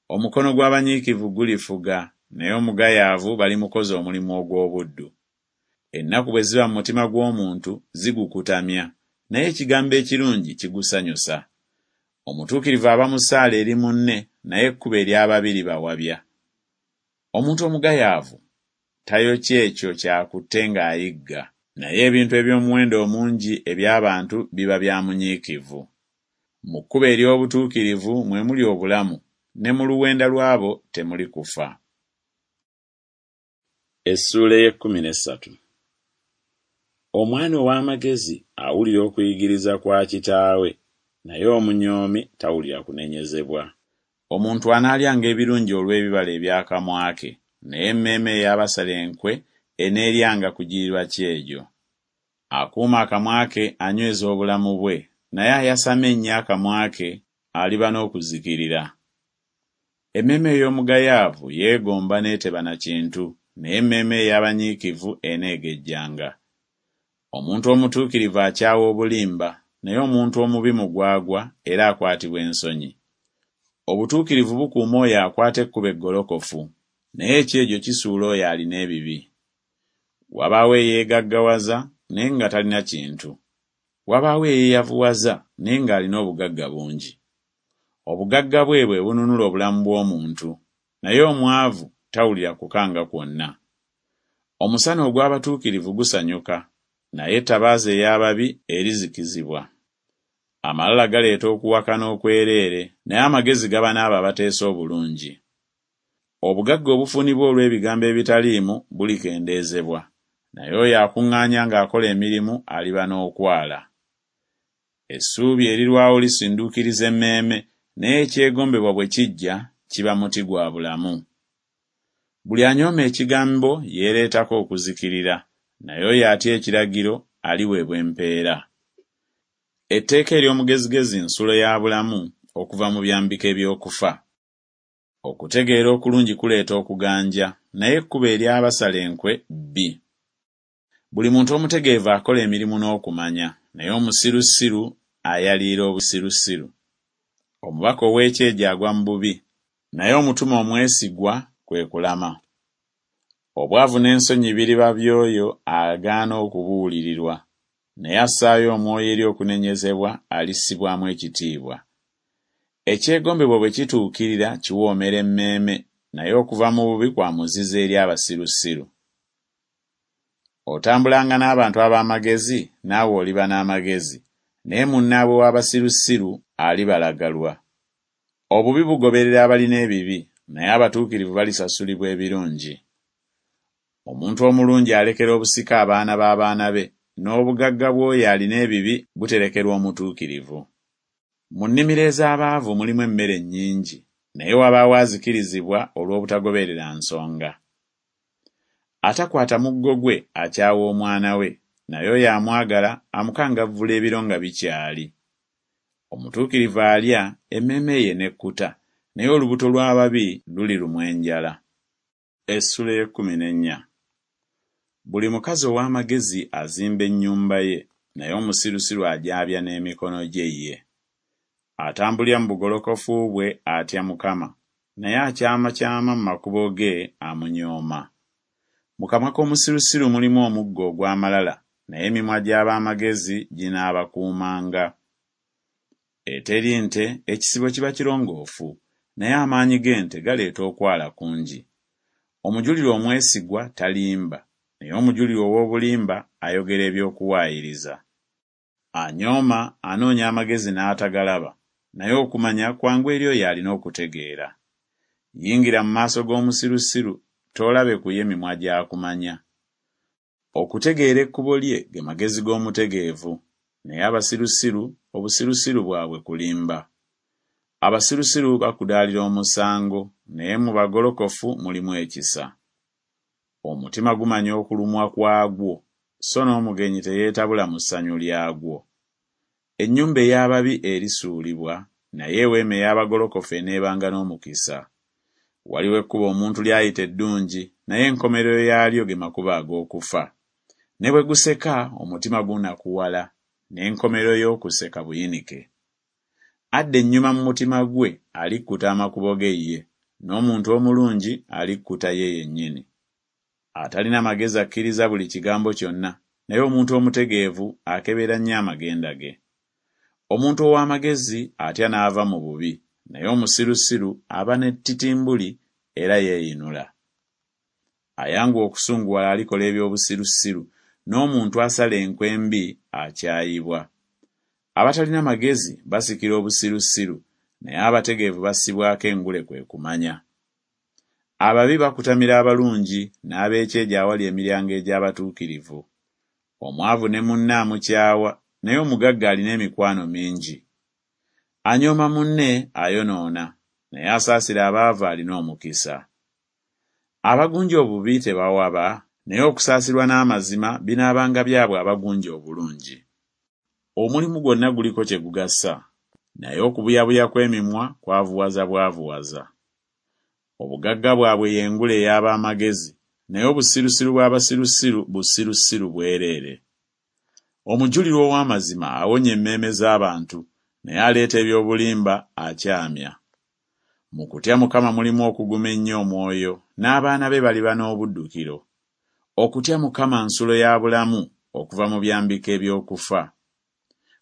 Omukono gw'abanyiikivu gulifuga, naye omugayaavu balimukoza omulimu ogw'obuddu. Ennaku bwe ziba mu mutima gw'omuntu zigukutamya, naye ekigambo ekirungi kigusanyusa. Omutuukirivu aba musaale eri munne, naye ekkubo ery'ababi libawabya. Omuntu omugayaavu tayokya ekyo ky'akutte ng'ayigga, naye ebintu eby'omuwendo omungi eby'abantu biba bya munyiikivu. Mu kkubo ery'obutuukirivu mwe muli obulamu, ne mu luwenda lw'abo temuli kufa. Essuula ey'ekkumi n'essatu. Omwana ow'amagezi awulira okuyigiriza kwa kitaawe, naye omunyoomi tawulira kunenyezebwa. Omuntu anaalyanga ebirungi olw'ebibala eby'akamwa ke, naye emmeeme ey'abasala enkwe eneeryanga kugirirwa kyejo. Akuuma akamwa ke anyweza obulamu bwe, naye ayasama ennyo akamwa ke aliba n'okuzikirira. Emmeeme ey'omugayaavu yeegomba n'eteba na kintu, naye emmeeme ey'abanyiikivu eneegejjanga. Omuntu omutuukirivu akyawa obulimba, naye omuntu omubi mugwagwa era akwatibwa ensonyi. Obutuukirivu bukuuma oyo akwata ekkubo eggolokofu, naye ekyejo kisuula oyo alina ebibi. Wabaawo eyeegaggawaza naye nga talina kintu. Wabaawo eyeeyavuwaza naye ng'alina obugagga bungi. Obugagga bwe bwe bununula obulamu bw'omuntu, naye omwavu tawulira kukanga kwonna. Omusana ogw'abatuukirivu gusanyuka, naye ettabaaza ey'ababi erizikizibwa. Amalala galeeta okuwakana okwereere, naye amagezi gaba n'abo abateesa obulungi. Obugagga obufunibwa olw'ebigambo ebitaliimu bulikendeezebwa, naye oyo akuŋŋaanya ng'akola emirimu aliba n'okwala. Essuubi erirwawo lisinduukiriza emmeeme, naye ekyegombebwa bwe kijja kiba muti gwa bulamu. Buli anyooma ekigambo yeereetako okuzikirira, naye oyo atya ekiragiro aliweebwa empeera. Etteeka ery'omugezigezi nsulo ya bulamu okuva mu byambika eby'okufa. Okutegeera okulungi kuleeta okuganja, naye ekkubo ery'abasala enkwe bbi. Buli muntu omutegeevu akola emirimu n'okumanya, naye omusirusiru ayaliira obusirusiru. Omubaka ow'ekyejo agwa mu bubi, naye omutume omwesigwa kwe kulama. Obwavu n'ensonyi biriba by'oyo agaana okubuulirirwa, naye assaayo omwoyo eri okunenyezebwa alissibwamu ekitiibwa. Ekyegombebwa bwe kituukirira kiwoomera emmeeme, naye okuva mu bubi kwa muzizo eri abasirusiru. Otambulanga n'abantu ab'amagezi, naawe oliba n'amagezi, naye munnaabwe w'abasirusiru alibalagalwa. Obubi bugoberera abalina ebibi, naye abatuukirivu balisasulibwa ebirungi. Omuntu omulungi alekera obusika abaana b'abaana be, n'obugagga bw'oyo alina ebibi buterekerwa omutuukirivu. Mu nnimiro ez'abaavu mulimu emmere nnyingi, naye wabaawo azikirizibwa olw'obutagoberera nsonga. Atakwata muggo gwe akyawa omwana we, naye oyo amwagala amukangavvula ebiro nga bikyali. Omutuukirivu alya, emmeeme ye n'ekkuta, naye olubuto lw'ababi lulirumwa enjala. Essuula ey'ekkumi n'ennya. Buli mukazi ow'amagezi azimba ennyumba ye, naye omusirusiru agyabya n'emikono gye ye. Atambulira mu bugolokofu bwe atya Mukama, naye akyamakyama mu makubo ge amunyooma. Mu kamwa k'omusirusiru mulimu omuggo ogw'amalala, naye emimwa gy'ab'amagezi ginaabakuumanga. Eteri nte ekisibo kiba kirongoofu, naye amaanyi g'ente galeeta okwala kungi. Omujulirwa omwesigwa talimba, naye omujulirwa ow'obulimba ayogera eby'okuwaayiriza. Anyooma anoonya amagezi n'atagalaba, naye okumanya kwangu eri oyo alina okutegeera. Yingira mu maaso g'omusirusiru, toolabe ku ye mimwa gy'akumanya. Okutegeera ekkubo lye ge magezi g'omutegeevu, naye abasirusiru obusirusiru bwabwe kulimba. Abasirusiru bakudaalira omusango, naye mu bagolokofu mulimu ekisa. Omutima gumanya okulumwa kwagwo, so n'omugenyi teyeetabula mu ssanyu lyagwo. Ennyumba ey'ababi erisuulibwa, naye eweema ey'abagolokofu eneebanga n'omukisa. Waliwo ekkubo omuntu ly'ayita eddungi, naye enkomerero yaalyo ge makubo ag'okufa. Ne bwe guseka omutima gunakuwala, n'enkomerero y'okuseka buyinike. Adda ennyuma mu mutima gwe alikkuta amakubo ge ye, n'omuntu omulungi alikkuta ye yennyini. Atalina magezi akkiriza buli kigambo kyonna, naye omuntu omutegeevu akebera nnyo amagenda ge. Omuntu ow'amagezi atya n'ava mu bubi, naye omusirusiru aba n'ettitimbuli era yeeyinula. Ayanguwa okusunguwala alikola eby'obusirusiru, n'omuntu asala enkwe embi akyayibwa. Abatalina magezi basikira obusirusiru, naye abategeevu bassibwako engule kwe kumanya. Ababi bakutamira abalungi, n'ab'ekyejo awali emiryango egy'abatuukirivu. Omwavu ne munne amukyawa, naye omugagga alina emikwano mingi. Anyooma munne ayonoona, naye asaasira abaavu alina omukisa. Abagunja obubi tebawaba, naye okusaasirwa n'amazima binaabanga byabwe abagunja obulungi. Omulimu gwonna guliko kye gugasa, naye okubuyabuya kw'emimwa kwavuwaza bwavuwaza. Obugagga bwabwe y'engule ey'ab'amagezi, naye obusirusiru bw'abasirusiru busirusiru bwereere. Omujulirwa ow'amazima awonya emmeeme z'abantu, naye aleeta eby'obulimba akyamya. Mu kutya Mukama mulimu okuguma ennyo omwoyo, n'abaana be baliba n'obuddukiro. Okutya Mukama nsulo ya bulamu okuva mu byambika eby'okufa.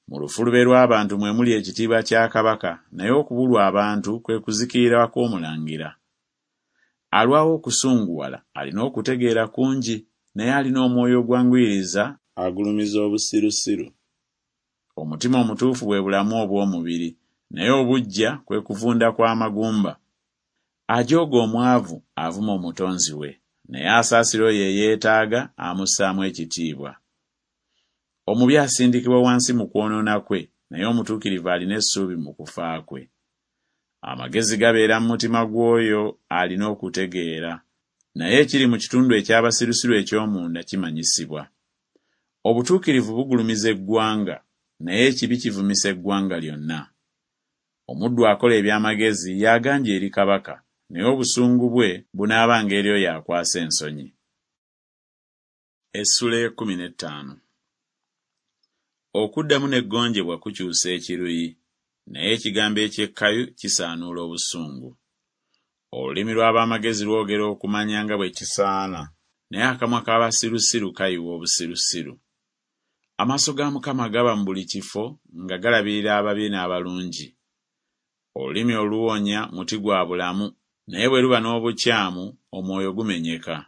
Mu lufulube lw'abantu mwe muli ekitiibwa kya kabaka, naye okubulwa abantu kwe kuzikirira kw'omulangira. Alwawo okusunguwala alina okutegeera kungi, naye alina omwoyo ogwanguyiriza agulumiza obusirusiru. Omutima omutuufu bwe bulamu obw'omubiri, naye obuggya kwe kuvunda kw'amagumba. Ajooga omwavu avuma omutonzi we, naye asaasira oyo eyeetaaga amussaamu ekitiibwa. Omubi asindikibwa wansi mu kwonoona kwe, naye omutuukirivu alina essuubi mu kufa kwe. Amagezi gabeera mu mutima gw'oyo alina okutegeera, naye ekiri mu kitundu eky'abasirusiru eky'omunda kimanyisibwa. Obutuukirivu bugulumiza eggwanga, naye ekibi kivumisa eggwanga lyonna. Omuddu akola eby'amagezi y'aganja eri kabaka, naye obusungu bwe bunaabanga eri oyo akwasa ensonyi. Essula ekkumi n'ettaano. Okuddamu n'eggonjebwa kukyusa ekiruyi, naye ekigambo eky'ekkayu kisaanuula obusungu. Olulimi lw'ab'amagezi lwogera okumanya nga bwe kisaana, naye akamwa k'abasirusiru kayiwa obusirusiru. Amaaso ga Mukama gaba mu buli kifo nga galabirira ababi n'abalungi. Olulimi oluwonya muti gwa bulamu, naye bwe luba n'obukyamu omwoyo gumenyeka.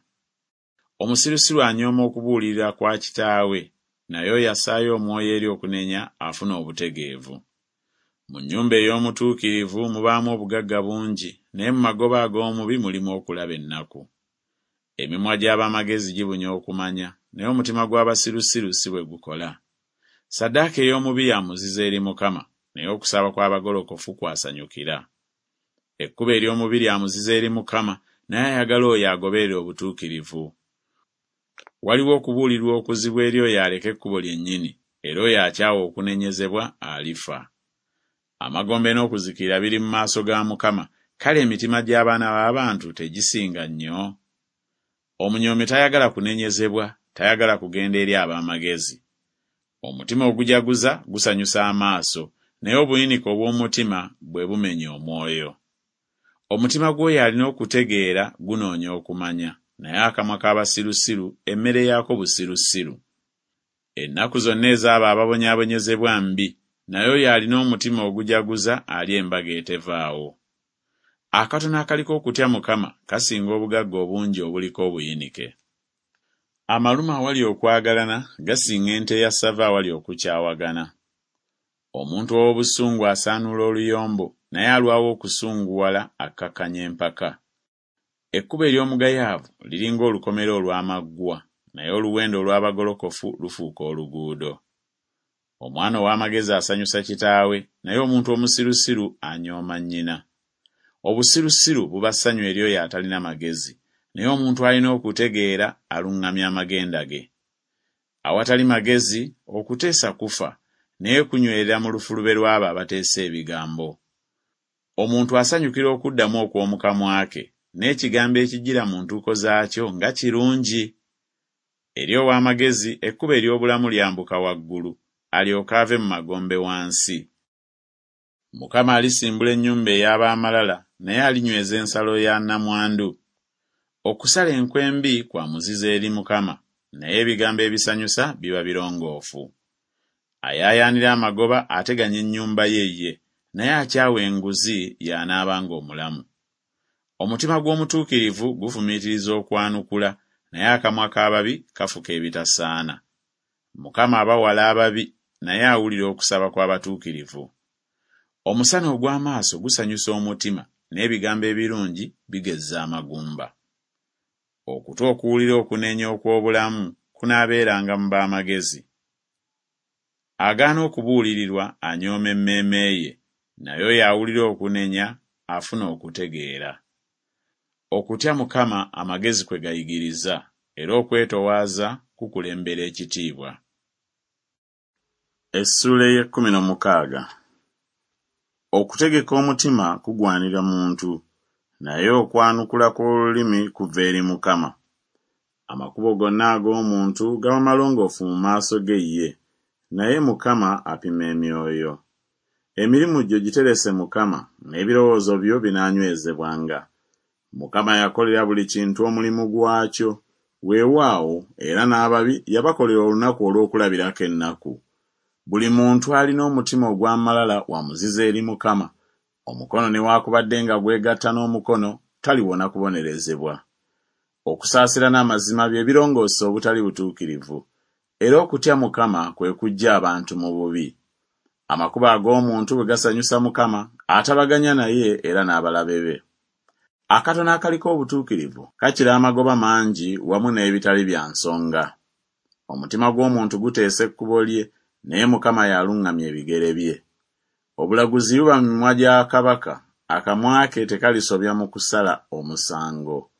Omusirusiru anyooma okubuulirira kwa kitaawe, naye oyo assaayo omwoyo eri okunenya afuna obutegeevu. Mu nnyumba ey'omutuukirivu mubaamu obugagga bungi, naye mu magoba ag'omubi mulimu okulaba ennaku. Emimwa gy'ab'amagezi gibunya okumanya, naye omutima gw'abasirusiru si bwe gukola. Ssaddaaka ey'omubi ya muzizo eri Mukama, naye okusaba kw'abagolokofu kw'asanyukira. Ekkubo ery'omubi lya muzizo eri Mukama, naye ayagala oyo agoberera obutuukirivu. Waliwo okubuulirwa okuzibu eri oyo aleka ekkubo lyennyini, era oyo akyawa okunenyezebwa alifa. Amagombe n'okuzikirira biri mu maaso ga Mukama, kale emitima gy'abaana b'abantu tegisinga nnyo? Omunyoomi tayagala kunenyezebwa, tayagala kugenda eri ab'amagezi. Omutima ogujaguza gusanyusa amaaso, naye obuyinike obw'omutima bwe bumenya omwoyo. Omutima gw'oyo alina okutegeera gunoonya okumanya, naye akamwa k'abasirusiru emmere yaako busirusiru. Ennaku zonna ez'abo ababonyaabonyezebwa mbi, naye oyo alina omutima ogujaguza alya embaga etevaawo. Akatono akaliko okutya Mukama kasinga obugagga obungi obuliko obuyinike. Amalume awali okwagalana gasinga ente eya ssava awali okukyawagana. Omuntu ow'obusungu asaanuula oluyombo, naye alwawo okusunguwala akkakkanya empaka. Ekkubo ery'omugayaavu liringa olukomera olw'amaggwa, naye oluwenda olw'abagolokofu lufuuka oluguudo. Omwana ow'amagezi asanyusa kitaawe, naye omuntu omusirusiru anyooma nnyina. Obusirusiru buba ssanyu eri oyo atalina magezi, naye omuntu alina okutegeera aluŋŋamya amagenda ge. Awatali magezi okuteesa kufa, naye kunywerera mu lufulube lw'abo abateesa ebigambo. Omuntu asanyukira okuddamu okw'omu kamwa ke, n'ekigambo ekijjira mu ntuuko zaakyo nga kirungi! Eri ow'amagezi ekkubo ery'obulamu lyambuka waggulu, alyoke ave mu magombe wansi. Mukama alisimbula ennyumba ey'ab'amalala, naye alinyweza ensalo ya nnamwandu. Okusala enkwe embi kwa muzizo eri Mukama, naye ebigambo ebisanyusa biba birongoofu. Ayaayaanira amagoba ateganya ennyumba ye ye, naye akyawa enguzi y'anaabanga omulamu. Omutima gw'omutuukirivu gufumiitiriza okwanukula, naye akamwa k'ababi kafuka ebitasaana. Mukama aba wala ababi, naye awulira okusaba kw'abatuukirivu. Omusana ogw'amaaso gusanyusa omutima, n'ebigambo ebirungi bigezza amagumba. Okutu okuwulira okunenya okw'obulamu kunaabeeranga mu b'amagezi. Agaana okubuulirirwa anyooma emmeeme ye, naye oyo awulira okunenya afuna okutegeera. Okutya Mukama amagezi kwe gayigiriza, era okwetowaaza kukulembera ekitiibwa. Essuula ey'ekkumi n'omukaaga. Okutegeka omutima kugwanira muntu, naye okwanukula kw'olulimi kuva eri Mukama. Amakubo gonna ag'omuntu gaba malongoofu mu maaso ge ye, naye Mukama apima emyoyo. Emirimu gyo giterese Mukama, n'ebirowoozo byo binaanywezebwanga. Mukama yakolera buli kintu omulimu gwakyo, weewaawo era n'ababi yabakolera olunaku olw'okulabirako ennaku. Buli muntu alina omutima ogw'amalala wa muzizo eri Mukama, omukono newaakubadde nga gwegatta n'omukono taliwona kubonerezebwa. Okusaasira n'amazima bye birongoosa obutali butuukirivu, era okutya Mukama kwe kuggya abantu mu bubi. Amakubo ag'omuntu bwe gasanyusa Mukama, atabaganya naye era n'abalabe be. Akatono akaliko obutuukirivu kakira amagoba mangi wamu n'ebitali bya nsonga. Omutima gw'omuntu guteesa ekkubo lye, naye Mukama y'aluŋŋamya ebigere bye. Obulaguzi buba mu mimwa gya kabaka, akamwa ke tekalisobya mu kusala omusango.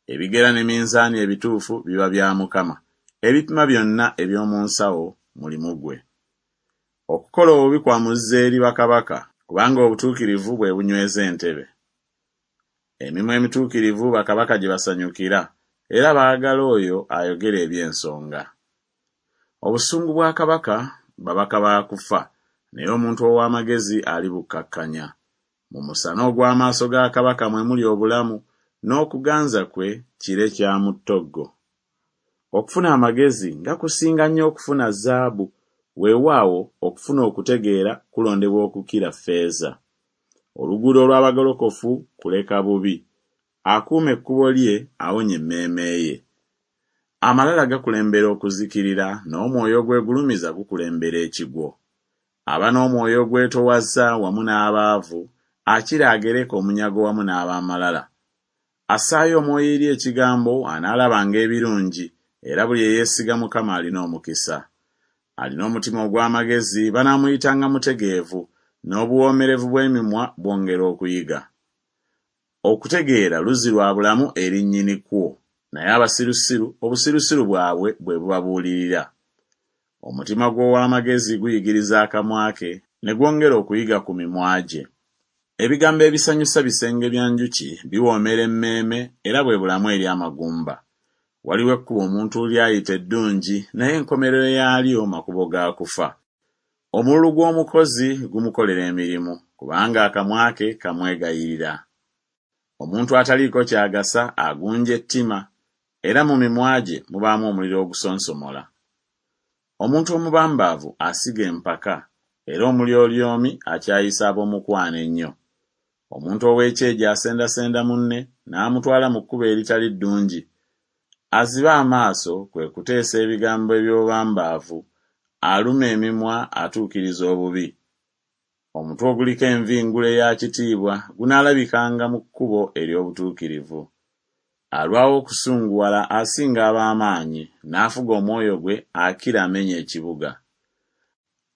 Ebigera ne minzaani ebituufu biba bya Mukama, ebipima byonna eby'omu nsawo mulimu gwe. Okukola obubi kwa muzizo eri bakabaka, kubanga obutuukirivu bwe bunyweza entebe. Emimwa emituukirivu bakabaka gye basanyukira, era baagala oyo ayogera eby'ensonga. Obusungu bwa kabaka babaka ba kufa, naye omuntu ow'amagezi alibukkakkanya. Mu musana ogw'amaaso ga kabaka mwe muli obulamu, n'okuganza kwe kire kya mu ttoggo. Okufuna amagezi nga kusinga nnyo okufuna zaabu, weewaawo okufuna okutegeera kulondebwa okukira ffeeza. Oluguudo olw'abagolokofu kuleka bubi, akuuma ekkubo lye awonya emmeeme ye. Amalala gakulembera okuzikirira, n'omwoyo ogwegulumiza gukulembera ekigwo. Aba n'omwoyo ogwetoowaza wamu n'abaavu, akira agereka omunyago wamu n'ab'amalala. Assaayo omwoyo eri ekigambo anaalabanga ebirungi, era buli eyeesiga Mukama alina omukisa. Alina omutima ogw'amagezi banaamuyitanga mutegeevu, n'obuwoomerevu bw'emimwa bwongera okuyiga. Okutegeera luzzi lwa bulamu eri nnyini kwo, naye abasirusiru obusirusiru bwabwe bwe bubabuulirira. Omutima gw'ow'amagezi guyigiriza akamwa ke, ne gwongera okuyiga ku mimwa gye. Ebigambo ebisanyusa bisenge bya njuki, biwoomera emmeeme era bwe bulamu eri amagumba. Waliwo ekkubo omuntu ly'ayita eddungi, naye enkomerero yaalyo makubo ga kufa. Omululu gw'omukozi gumukolera emirimu, kubanga akamwa ke kamwegayirira. Omuntu ataliiko ky'agasa agunja ettima, era mu mimwa gye mubaamu omuliro ogusonsomola. Omuntu omubambaavu asiga empaka, era omulyolyomi akyayisa ab'omukwano ennyo. Omuntu ow'ekyejo asendasenda munne n'amutwala mu kkubo eritali ddungi. Aziba amaaso kwe kuteesa ebigambo eby'obubambaavu, aluma emimwa atuukiriza obubi. Omutwe oguliko envi ngule ya kitiibwa, gunaalabikanga mu kkubo ery'obutuukirivu. Alwawo okusunguwala asinga ab'amaanyi, n'afuga omwoyo gwe akira amenya ekibuga.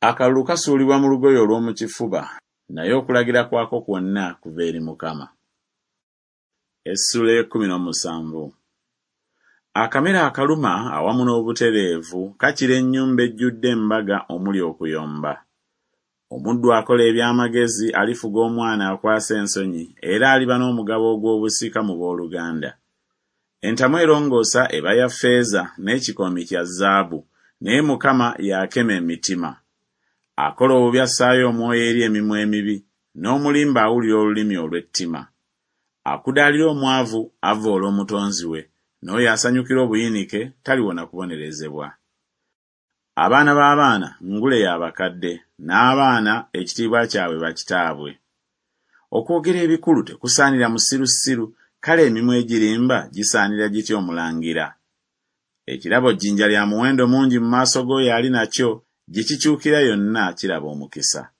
Akalulu kasuulibwa mu lugoye olw'omu kifuba, naye okulagira kwako kwonna kuva eri Mukama. Essuula ey'ekkumi n'omusanvu. Akamere akaluma awamu n'obutereevu kakira ennyumba ejjudde embaga omuli okuyomba. Omuddu akola eby'amagezi alifuga omwana akwasa ensonyi, era aliba n'omugabo ogw'obusika mu booluganda. Entamu erongoosa eba ya ffeeza n'ekikoomi kya zaabu, naye Mukama y'akema emitima. Akola obubi assaayo omwoyo eri emimwa emibi, n'omulimba awulira olulimi olw'ettima. Akudaalira omwavu avvoola Omutonzi we, n'oyo asanyukira obuyinike taliwona kubonerezebwa. Abaana b'abaana ngule ya bakadde, n'abaana ekitiibwa kyabwe bakitaabwe. Okwogera ebikulu tekusaanira musirusiru, kale emimwa egirimba gisaanira gitya omulangira? Ekirabo jjinja lya muwendo mungi mu maaso g'oyo ali nakyo, gye kikyukira yonna kiraba omukisa.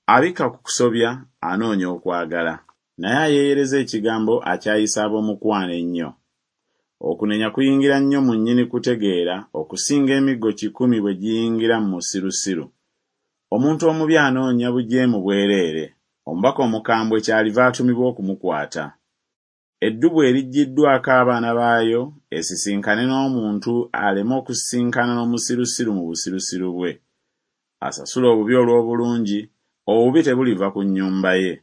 Abikka ku kusobya anoonya okwagala, naye ayeeyereza ekigambo akyayisa ab'omukwano ennyo. Okunenya kuyingira nnyo mu nnyini kutegeera okusinga emiggo kikumi bwe giyingira mu musirusiru. Omuntu omubi anoonya bujeemu bwereere, omubaka omukambwe kyaliva atumibwa okumukwata. Eddubu eriggyiddwako abaana baayo esisinkane n'omuntu aleme okusisinkana n'omusirusiru mu busirusiru bwe. Asasula obubi olw'obulungi, obubi tebuliva ku nnyumba ye.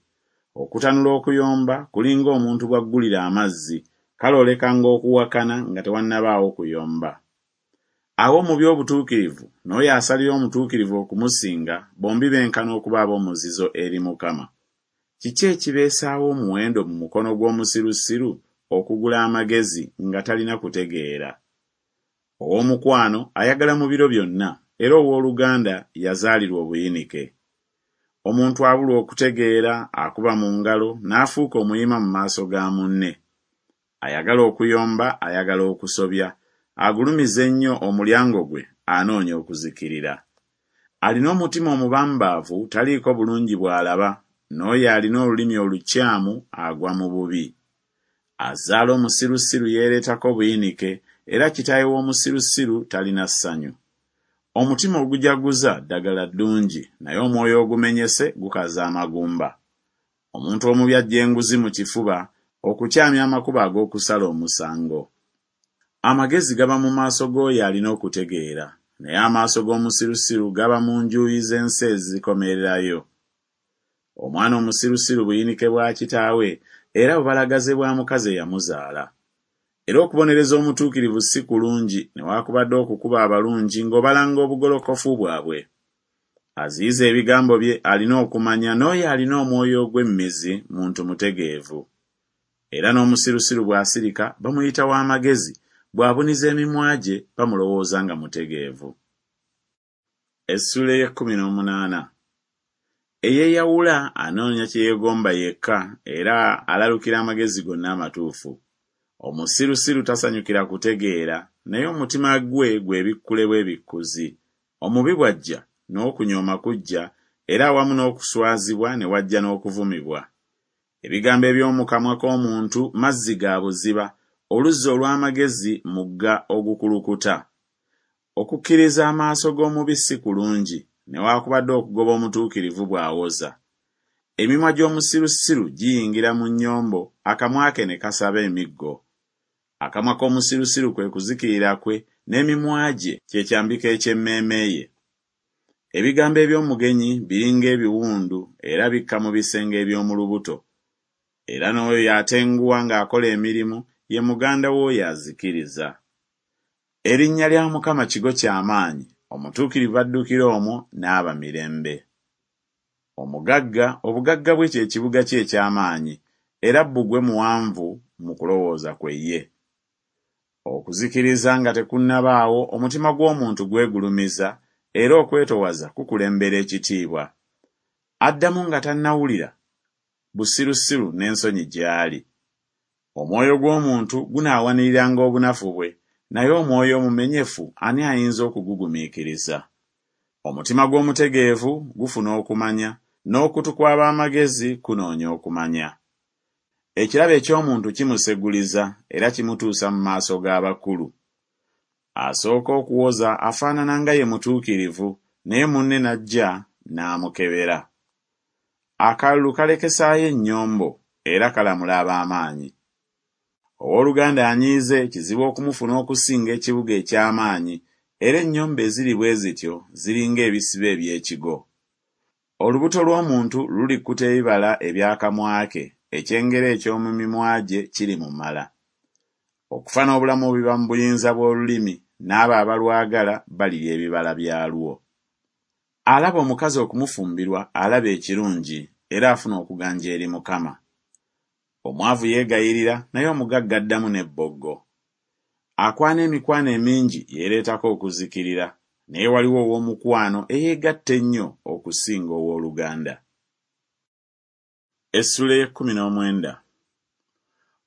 Okutanula okuyomba kulinga omuntu bw'aggulira amazzi, kale olekanga okuwakana nga tewannabaawo kuyomba. Awa omubi obutuukirivu n'oyo asalira omutuukirivu okumusinga, bombi benkana okuba ab'omuzizo eri Mukama. Kiki ekibeesaawo omuwendo mu mukono gw'omusirusiru okugula amagezi nga talina kutegeera? Ow'omukwano ayagala mu biro byonna, era owooluganda yazaalirwa obuyinike. Omuntu abulwa okutegeera akuba mu ngalo n'afuuka omuyima mu maaso ga munne. Ayagala okuyomba ayagala okusobya, agulumiza ennyo omulyango gwe anoonya okuzikirira. Alina omutima omubambaavu taliiko bulungi bw'alaba, n'oyo alina olulimi olukyamu agwa mu bubi. Azaala omusirusiru yeereetako buyinike, era kitaawe w'omusirusiru talina ssanyu. Omutima ogujaguza ddagala ddungi, naye omwoyo ogumenyese gukaza amagumba. Omuntu omubi aggya enguzi mu kifuba, okukyamya amakubo ag'okusala omusango. Amagezi gaba mu maaso g'oyo alina okutegeera, naye amaaso g'omusirusiru gaba mu njuyi z'ensi ezikomererayo. Omwana omusirusiru buyinike bwa kitaawe, era bubalagaze bwa mukazi eyamuzaala. Era okubonereza omutuukirivu si kulungi, newaakubadde okukuba abalungi ng'obalanga obugolokofu bwabwe. Aziyiza ebigambo bye alina okumanya, n'oyo alina omwoyo ogw'emmizi muntu mutegeevu. Era n'omusirusiru bw'asirika bamuyita w'amagezi, bw'abuniza emimwa gye bamulowooza nga mutegeevu. Essuula ey'ekkumi n'omunaana. Eyeeyawula anoonya kye yeegomba yekka, era alalukira amagezi gonna amatuufu. Omusirusiru tasanyukira kutegeera, naye omutima gwe gwebikkule bwebikkuzi. Omubi bw'ajja, n'okunyooma kujja, era awamu n'okuswazibwa ne wajja n'okuvumibwa. Ebigambo eby'omu kamwa k'omuntu mazzi ga buziba, oluzzi olw'amagezi mugga ogukulukuta. Okukkiriza amaaso g'omubi si kulungi, newaakubadde okugoba omutuukirivu bw'awoza. Emimwa gy'omusirusiru giyingira mu nnyombo, akamwa ke ne kasaba emiggo. Akamwa k'omusirusiru kwe kuzikirira kwe, n'emimwa gye kye kyambika eky'emmeeme ye. Ebigambo eby'omugenyi biringa ebiwundu, era bikka mu bisenge eby'omu lubuto. Era n'oyo atenguwa ng'akola emirimu ye muganda w'oyo azikiriza. Erinnya lya Mukama kigo kya maanyi, omutuukirivu addukira omwo n'aba mirembe. Omugagga obugagga bwe kye kibuga kye eky'amaanyi, era bbugwe muwanvu mu kulowooza kwe ye. Okuzikiriza nga tekunnabaawo omutima gw'omuntu gwegulumiza, era okwetowaza kukulembera ekitiibwa. Addamu nga tannawulira, busirusiru n'ensonyi gy'ali. Omwoyo gw'omuntu gunaawaniriranga obunafu bwe, naye omwoyo omumenyefu ani ayinza okugugumiikiriza? Omutima gw'omutegeevu gufuna okumanya, n'okutu kw'ab'amagezi kunoonya okumanya. Ekirabo eky'omuntu kimuseguliza era kimutuusa mu maaso g'abakulu. Asooka okuwoza afaanana nga ye mutuukirivu, naye munne n'ajja n'amukebera. Akalulu kalekesaayo ennyombo, era kalamula ab'amaanyi. Owooluganda anyiize kizibu okumufuna okusinga ekibuga eky'amaanyi, era ennyombo eziri bwe zityo ziringa ebisiba eby'ekigo. Olubuto lw'omuntu lulikkuta ebibala eby'akamwa ke, ekyengera eky'omu mimwa gye kirimumala. Okufa n'obulamu biba mu buyinza bw'olulimi, n'abo abalwagala balirya ebibala byalwo. Alaba omukazi okumufumbirwa alaba ekirungi, era afuna okuganja eri Mukama. Omwavu yeegayirira, naye omugagga addamu n'ebboggo. Akwana emikwano emingi yeereetako okuzikirira, naye waliwo ow'omukwano eyeegatta ennyo okusinga owooluganda. Essuula ey'ekkumi n'omwenda.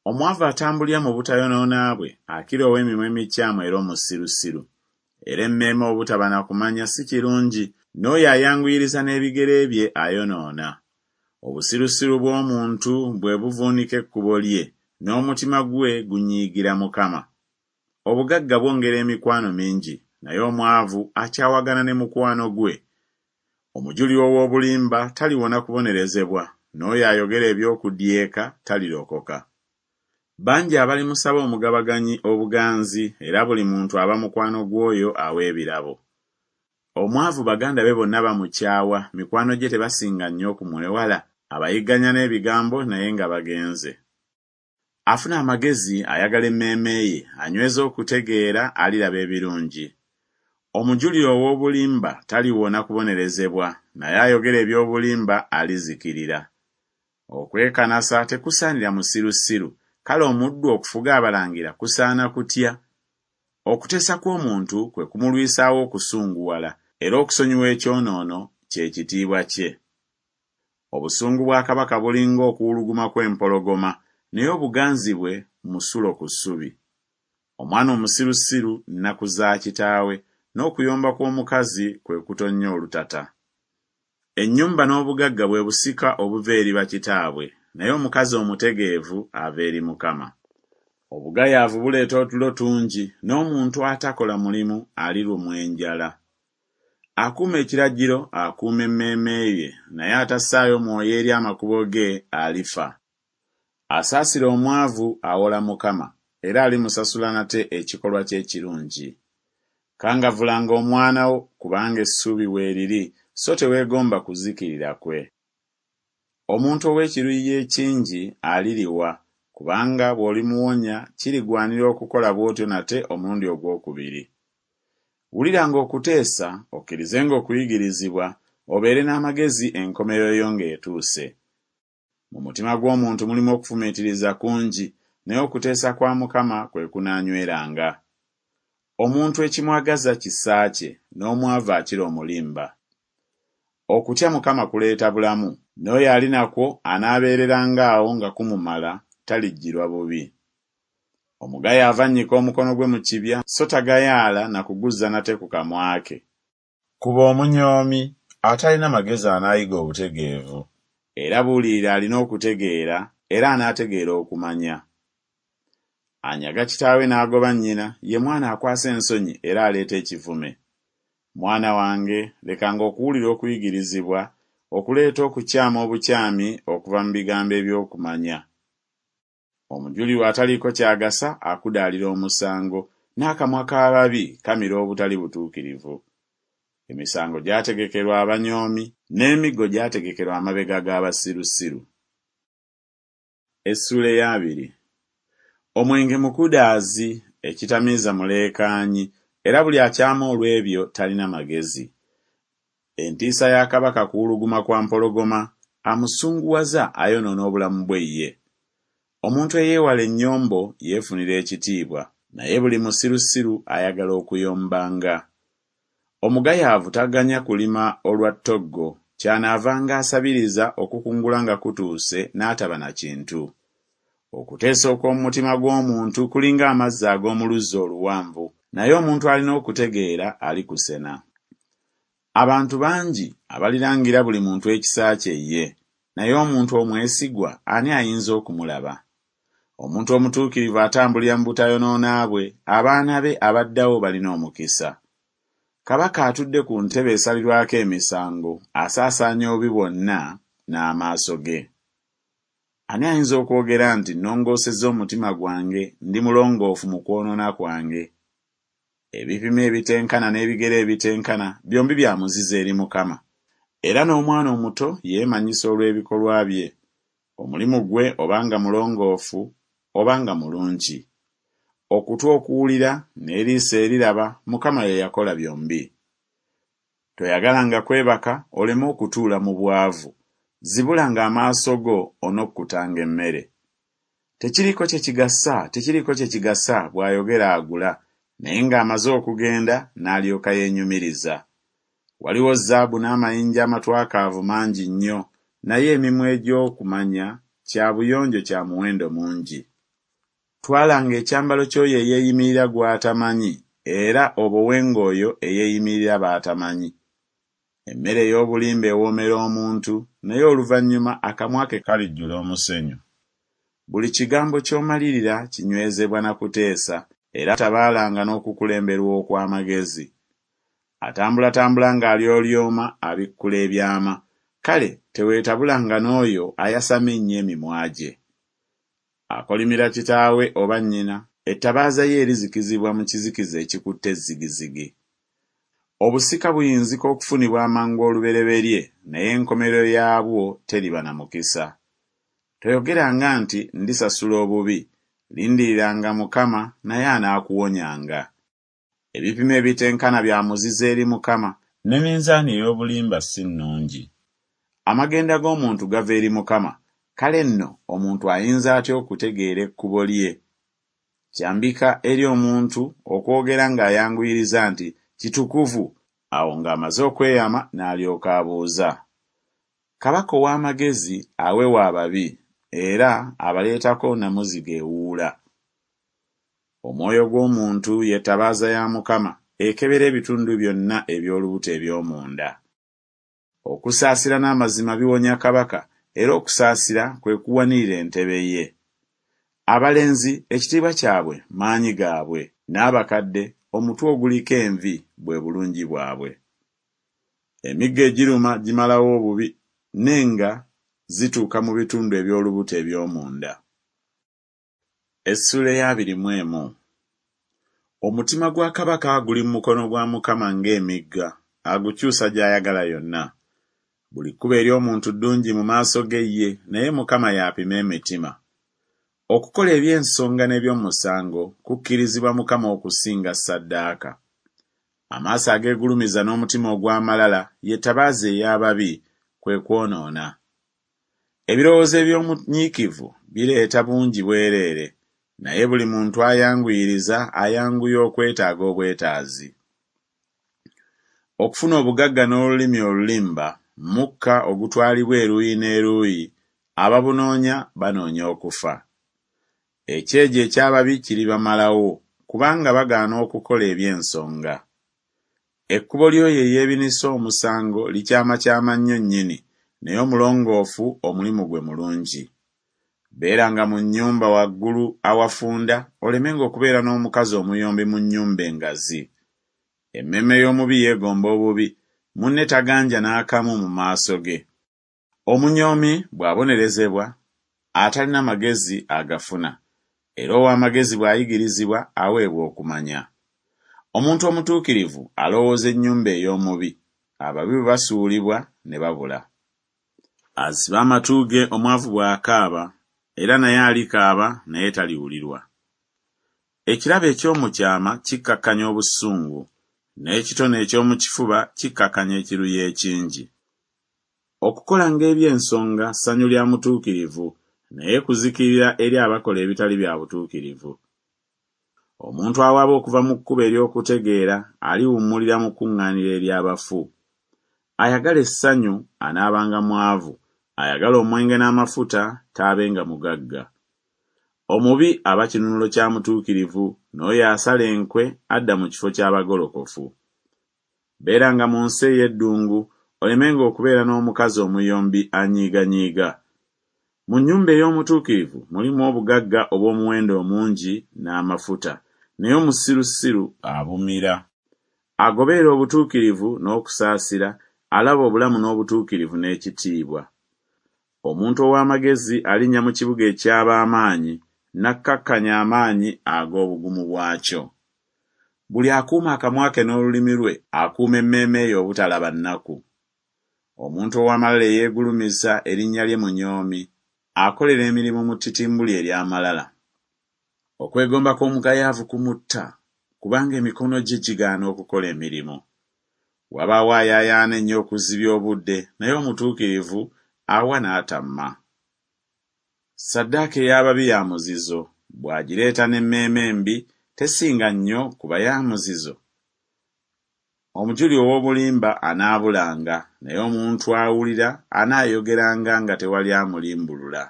Omwavu atambulira mu butayonoona bwe akira ow'emimwa emikyamu era omusirusiru. Era emmeeme obutaba na kumanya si kirungi, n'oyo ayanguyiriza n'ebigere bye ayonoona. Obusirusiru bw'omuntu bwe buvuunika ekkubo lye, n'omutima gwe gunyiigira Mukama. Obugagga bwongera emikwano mingi, naye omwavu akyawagana ne mukwano gwe. Omujulirwa ow'obulimba taliwona kubonerezebwa, n'oyo ayogera eby'okudyeka talirokoka. Bangi abalimusaba omugabaganyi obuganzi, era buli muntu aba mukwano gw'oyo awa ebirabo. Omwavu baganda be bonna bamukyawa, mikwano gye tebasinga nnyo okumwewala, abayigganya n'ebigambo naye nga bagenze. Afuna amagezi ayagala emmeeme ye, anyweza okutegeera aliraba ebirungi. Omujulirwa ow'obulimba taliwona kubonerezebwa, naye ayogera eby'obulimba alizikirira. Okwekanasa tekusaanira musirusiru, kale omuddu okufuga abalangira kusaana kutya? Okuteesa kw'omuntu kwe kumulwisaawo okusunguwala, era okusonyiwa ekyonoono kye kitiibwa kye. Obusungu bwa kabaka bulinga okuwuluguma kw'empologoma, naye obuganzi bwe musulo ku ssubi. Omwana omusirusiru nnaku za kitaawe, n'okuyomba kw'omukazi kwe kutonnya olutata. Ennyumba n'obugagga bwe busika obuva eri bakitaabwe, naye omukazi omutegeevu ava eri Mukama. Obugayaavu buleeta otulo tungi, n'omuntu atakola mulimu alirumwa enjala. Akuuma ekiragiro akuuma emmeeme ye, naye atassaayo mwoyo eri amakubo ge alifa. Asaasira omwavu awola Mukama, era alimusasula nate ekikolwa kye ekirungi. Kangavvulanga omwana wo, kubanga essuubi weeriri, so teweegomba kuzikirira kwe. Omuntu ow'ekiruyi ekingi aliriwa, kubanga bw'olimuwonya kirigwanira okukola bw'otyo nate omulundi ogwokubiri. Wuliranga okuteesa, okkirizenga okuyigirizibwa, obeere n'amagezi enkomerero yo ng'etuuse. Mu mutima gw'omuntu mulimu okufumiitiriza kungi, naye okuteesa kwa Mukama kwe kunaanyweranga. Omuntu ekimwagaza kisa kye, n'omwavu akira omulimba. Okutya Mukama kuleeta bulamu, n'oyo ali nakwo anaabeereranga awo nga kumumala, talijjirwa bubi. Omugayaavu annyika omukono gwe mu kibya, so tagayaala na kuguzza nate ku kamwa ke. Kuba omunyoomi, atalina magezi anaayiga obutegeevu, era buulirira alina okutegeera, era anaategeera okumanya. Anyaga kitaawe n'agoba nnyina, ye mwana akwasa ensonyi era aleeta ekivume. Mwana wange, lekanga okuwulira okuyigirizibwa, okuleeta okukyama obukyami okuva mu bigambo eby'okumanya. Omujulirwa ataliiko ky'agasa akudaalira omusango, n'akamwa k'ababi kamira obutali butuukirivu. Emisango gyategekerwa abanyoomi, n'emiggo gyategekerwa amabega g'abasirusiru. Essuula ey'abiri. Omwenge mukudaazi, ekitamiiza muleekaanyi, era buli akyama olw'ebyo talina magezi. Entiisa ya kabaka kuwuluguma kwa mpologoma, amusunguwaza ayonoona obulamu bwe ye. Omuntu eyeewala ennyombo yeefunira ekitiibwa, naye buli musirusiru ayagala okuyombanga. Omugayaavu taganya kulima olwa ttoggo, ky'anaavanga asabiriza okukungula nga kutuuse n'ataba na kintu. Okuteesa okw'omu mutima gw'omuntu kulinga amazzi ag'omu luzzi oluwanvu, naye omuntu alina okutegeera alikusena. Abantu bangi abalirangira buli muntu ekisa kye ye, naye omuntu omwesigwa ani ayinza okumulaba? Omuntu omutuukirivu atambulira mu butayonoona bwe, abaana be abaddawo balina omukisa. Kabaka atudde ku ntebe esalirwako emisango asaasaanya obubi bwonna n'amaaso ge. Ani ayinza okwogera nti nnongoosezza omutima gwange, ndi mulongoofu mu kwonoona kwange? Ebipimo ebitenkana n'ebigere ebitenkana byombi bya muzizo eri Mukama. Era n'omwana omuto yeemanyisa olw'ebikolwa bye, omulimu gwe oba nga mulongoofu oba nga mulungi. Okutu okuwulira n'eriiso eriraba Mukama ye yakola byombi. Toyagalanga kwebaka oleme okutuula mu bwavu, zibulanga amaaso go onokkutanga emmere. Tekiriiko kye kigasa, tekiriiko kye kigasa, bw'ayogera agula, naye ng'amaze okugenda n'alyoka yeenyumiriza. Waliwo zaabu n'amayinja amatwakaavu mangi nnyo, naye emimwa egy'okumanya kya buyonjo kya muwendo mungi. Twalanga ekyambalo ky'oyo eyeeyimirira gw'atamanyi, era obowenga oyo eyeeyimirira b'atamanyi. Emmere ey'obulimba ewoomera omuntu, naye oluvannyuma akamwa ke kalijjula omusenyu. Buli kigambo ky'omalirira kinywezebwa na kuteesa, era tabaalanga n'okukulemberwa okw'amagezi. Atambulatambula ng'alyolyoma abikkula ebyama, kale teweetabulanga n'oyo ayasama ennyo emimwa gye. Akolimira kitaawe oba nnyina, ettabaaza ye erizikizibwa mu kizikiza ekikutte zigizigi. Obusika buyinzika okufunibwa amangu olubereberye, naye enkomerero yaabwo teriba na mukisa. Toyogeranga nti ndisasula obubi, lindiriranga Mukama naye anaakuwonyanga. Ebipimo ebitenkana bya muzizo eri Mukama, ne minzaani ey'obulimba si nnungi. Amagenda g'omuntu gava eri Mukama, kale nno omuntu ayinza atya okutegeera ekkubo lye? Kyambika eri omuntu okwogera ng'ayanguyiriza nti kitukuvu, awo ng'amaze okweyama n'alyoka abuuza. Kabaka ow'amagezi awewa ababi, era abaleetako nnamuziga ewuula. Omwoyo gw'omuntu ye ttabaaza ya Mukama, ekebera ebitundu byonna eby'olubuto eby'omunda. Okusaasira n'amazima biwonya kabaka, era okusaasira kwe kuwanirira entebe ye. Abalenzi ekitiibwa kyabwe maanyi gaabwe, n'abakadde omutwe oguliko envi bwe bulungi bwabwe. Emiggo egiruma gimalawo obubi, n'enga zituuka mu bitundu eby'olubuto eby'omunda. Essuula ey'abiri mu emu. Omutima gwa kabaka guli mu mukono gwa Mukama ng'emigga, agukyusa gy'ayagala yonna. Buli kkubo ery'omuntu ddungi mu maaso ge ye, naye Mukama y'apima emitima. Okukola eby'ensonga n'eby'omusango kukkirizibwa Mukama okusinga ssaddaaka. Amaaso ageegulumiza n'omutima ogw'amalala ye ttabaaza ey'ababi, kwe kwonoona. Ebirowoozo eby'omunyiikivu bireeta bungi bwereere, naye buli muntu ayanguyiriza ayanguya okwetaaga obwetaazi. Okufuna obugagga n'olulimi olulimba mukka ogutwalibwa eruuyi n'eruuyi, ababunoonya banoonya okufa. Ekyejo eky'ababi kiribamalawo, kubanga bagaana okukola eby'ensonga. Ekkubo ly'oyo eyeebinisa omusango likyamakyama nnyo nnyini, naye omulongoofu omulimu gwe mulungi. Beeranga mu nnyumba waggulu awafunda, olemenga okubeera n'omukazi omuyombi mu nnyumba engazi. Emmeeme y'omubi yeegomba obubi, munne taganja n'akamu mu maaso ge. Omunyoomi bw'abonerezebwa, atalina magezi agafuna, era ow'amagezi bw'ayigirizibwa aweebwa okumanya. Omuntu omutuukirivu alowooza ennyumba ey'omubi, ababi bwe basuulibwa ne babula. Aziba amatu ge omwavu bw'akaaba, era naye alikaaba naye taliwulirwa. Ekirabo eky'omu kyama kikkakkanya obusungu, n'ekitone eky'omu kifuba kikkakkanya ekiruyi ekingi. Okukolanga eby'ensonga ssanyu lya mutuukirivu, naye kuzikirira eri abakola ebitali bya butuukirivu. Omuntu awaba okuva mu kkubo ery'okutegeera aliwummulira mu kuŋŋaaniro ery'abafu. Ayagala essanyu anaabanga mwavu, ayagala omwenge n'amafuta taabenga mugagga. Omubi aba kinunulo kya mutuukirivu, n'oyo asala enkwe adda mu kifo ky'abagolokofu. Beeranga mu nsi ey'eddungu, olemenga okubeera n'omukazi omuyombi anyiiganyiiga. Mu nnyumba ey'omutuukirivu mulimu obugagga obw'omuwendo omungi n'amafuta, naye omusirusiru abumira. Agoberera obutuukirivu n'okusaasira alaba obulamu n'obutuukirivu n'ekitiibwa. Omuntu ow'amagezi alinnya mu kibuga eky'ab'amaanyi, n'akkakkanya amaanyi ag'obugumu bwakyo. Buli akuuma akamwa ke n'olulimi lwe akuuma emmeeme ye obutalaba nnaku. Omuntu ow'amalala eyeegulumiza erinnya lye munyoomi, akolera emirimu mu ttitimbuli ery'amalala. Okwegomba kw'omugayaavu kumutta, kubanga emikono gye gigaana okukola emirimu. Wabaawo ayaayaana ennyo okuzibya obudde, naye omutuukirivu awa n'atamma. Ssaddaaka ey'ababi ya muzizo, bw'agireeta n'emmeeme embi, tesinga nnyo kuba ya muzizo? Omujuli ow'obulimba anaabulanga, naye omuntu awulira anaayogeranga nga tewali amulimbulula.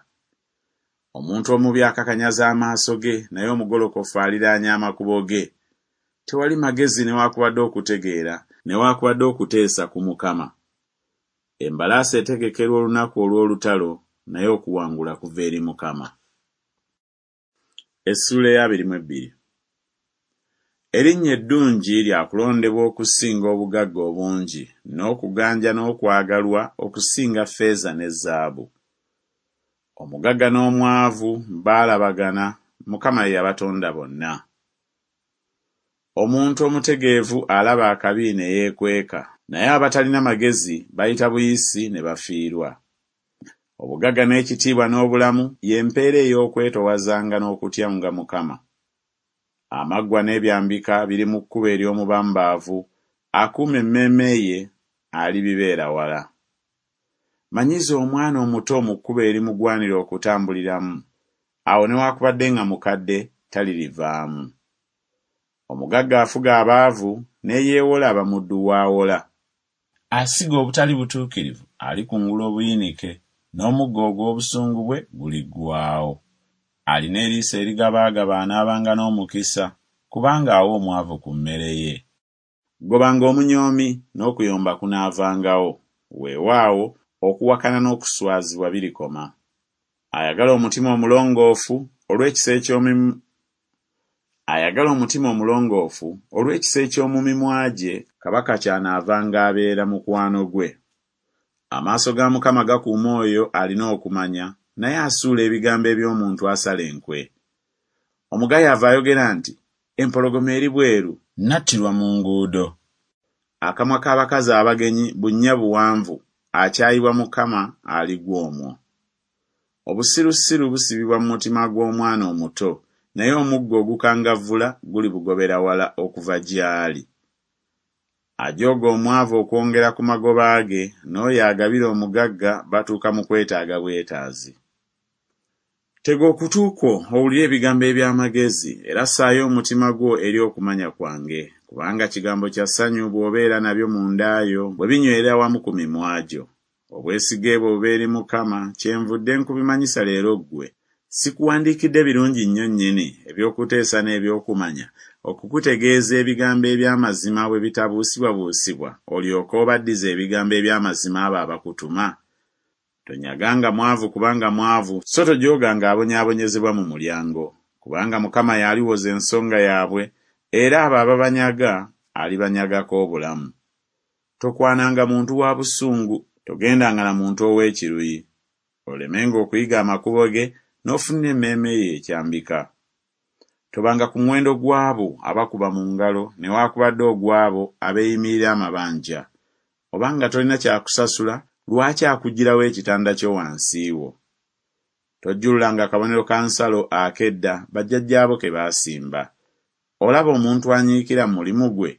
Omuntu omubi akakanyaza amaaso ge, naye omugolokofu aliraanya amakubo ge. Tewali magezi newaakubadde okutegeera, newaakubadde okuteesa ku Mukama. Embalaasi etegekerwa olunaku olw'olutalo, naye okuwangula kuva eri Mukama. Essuula ey'abiri mu ebbiri. Erinnya eddungi lya kulondebwa okusinga obugagga obungi, n'okuganja n'okwagalwa okusinga ffeeza ne zaabu. Omugagga n'omwavu baalabagana, Mukama ye yabatonda bonna. Omuntu omutegeevu alaba akabi ne yeekweka, naye abatalina magezi bayita buyisi ne bafiirwa. Obugagga n'ekitiibwa n'obulamu ye mpeera ey'okwetoowazanga n'okutyanga Mukama. Amaggwa n'ebyambika biri mu kkubo ery'omubambaavu, akuuma emmeeme ye alibibeera wala. Manyiza omwana omuto mu kkubo erimugwanira okutambuliramu, awo newaakubadde nga mukadde talirivaamu. Omugagga afuga abaavu, n'eyeewola aba muddu w'awola. Asiga obutali butuukirivu alikungula obuyinike, n'omuggo ogw'obusungu bwe guliggwaawo. Alina eriiso erigabaagaba anaabanga n'omukisa, kubanga awa omwavu ku mmere ye. Gobanga omunyoomi, n'okuyomba kunaavangawo, weewaawo okuwakana n'okuswazibwa birikoma. Ayagala omutima omulongoofu olw'ekisa eky'omu Ayagala omutima omulongoofu olw'ekisa eky'omu mimwa gye kabaka ky'anaavanga abeera mukwano gwe. Amaaso ga Mukama gakuuma oyo alina okumanya, naye asuula ebigambo eby'omuntu asala enkwe. Omugayaavu ayogera nti, Empologoma eri bweru! Nattirwa mu nguudo. Akamwa k'abakazi abagenyi bunnya buwanvu, akyayibwa Mukama aligwa omwo. Obusirusiru busibibwa mu mutima gw'omwana omuto, naye omuggo ogukangavvula gulibugobera wala okuva gy'ali. Ajooga omwavu okwongera ku magoba ge, n'oyo agabira omugagga batuuka mu kwetaaga bwetaazi. Tega okutu kwo owulire ebigambo eby'amagezi, era ssaayo omutima gwo eri okumanya kwange, kubanga kigambo kya ssanyu bw'obeera nabyo munda yo, bwe binywerera wamu ku mimwa gyo. Obwesige bwo bube eri Mukama, kyenvudde nkubimanyisa leero ggwe. Sikuwandiikidde birungi nnyo nnyini, eby'okuteesa n'eby'okumanya, okukutegeeza ebigambo eby'amazima bwe bitabuusibwabuusibwa, olyoke obaddize ebigambo eby'amazima abo abakutuma? Tonyaganga mwavu kubanga mwavu, so tojooganga abonyaabonyezebwa mu mulyango, kubanga Mukama y'aliwoza ensonga yaabwe, era abo ababanyaga alibanyagako obulamu. Tokwananga muntu wa busungu, togendanga na muntu ow'ekiruyi, olemenga okuyiga amakubo ge, n'ofunira emmeeme yo ekyambika. Tobanga ku muwendo gw'abo abakuba mu ngalo newaakubadde ogw'abo abeeyimirira amabanja. Obanga tolina kya kusasula, lwaki akuggyirawo ekitanda kyo wansi wo? Tojjululanga kabonero ka nsalo ak'edda bajjajjaabo ke baasimba. Olaba omuntu anyiikira mu mulimu gwe?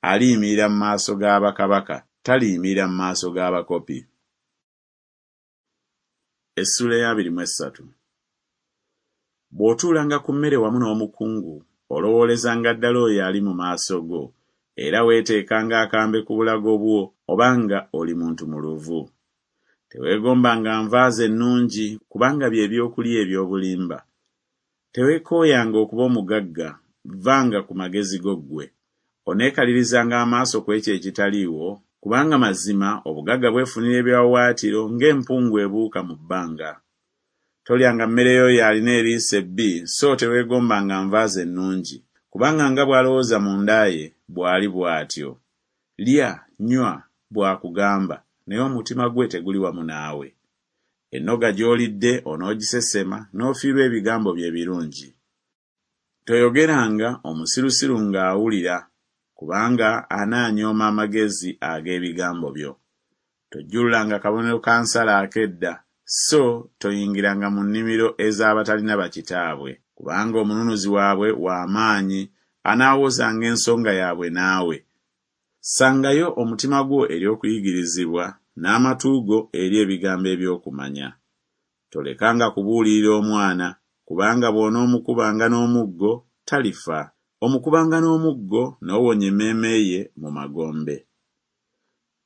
Aliyimirira mu maaso ga bakabaka, taliyimirira mu maaso g'abakopi. Essuula ey'abiri mu essatu. Bw'otuulanga ku mmere wamu n'omukungu, olowoolezanga ddala oyo ali mu maaso go, era weeteekanga akambe ku bulago bwo oba nga oli muntu muluvu. Teweegombanga nva ze ennungi, kubanga bye byokulya eby'obulimba. Teweekooyanga okuba omugagga, vvanga ku magezi go ggwe. Oneekalirizanga amaaso ku ekyo ekitaliiwo? Kubanga mazima obugagga bwefunira ebiwaawaatiro ng'empungu ebuuka mu bbanga. Tolyanga mmere y'oyo alina eriiso ebbi, so teweegombanga nva ze ennungi, kubanga nga bw'alowooza munda ye, bw'ali bw'atyo. Lya, nywa, bw'akugamba, naye omutima gwe teguli wamu naawe. Ennoga gy'olidde onoogisesema, n'ofiirwa ebigambo bye ebirungi. Toyogeranga omusirusiru ng'awulira, kubanga anaanyooma amagezi ag'ebigambo byo. Tojjululanga kabonero ka nsalo ak'edda, so toyingiranga mu nnimiro ez'abatalina bakitaabwe, kubanga omununuzi waabwe wa maanyi, anaawozanga ensonga yaabwe naawe. Ssangayo omutima gwo eri okuyigirizibwa, n'amatu go eri ebigambo eby'okumanya. Tolekanga kubuulirira omwana, kubanga bw'onoomukubanga n'omuggo, talifa. Omukubanga n'omuggo, n'owonya emmeeme ye mu magombe.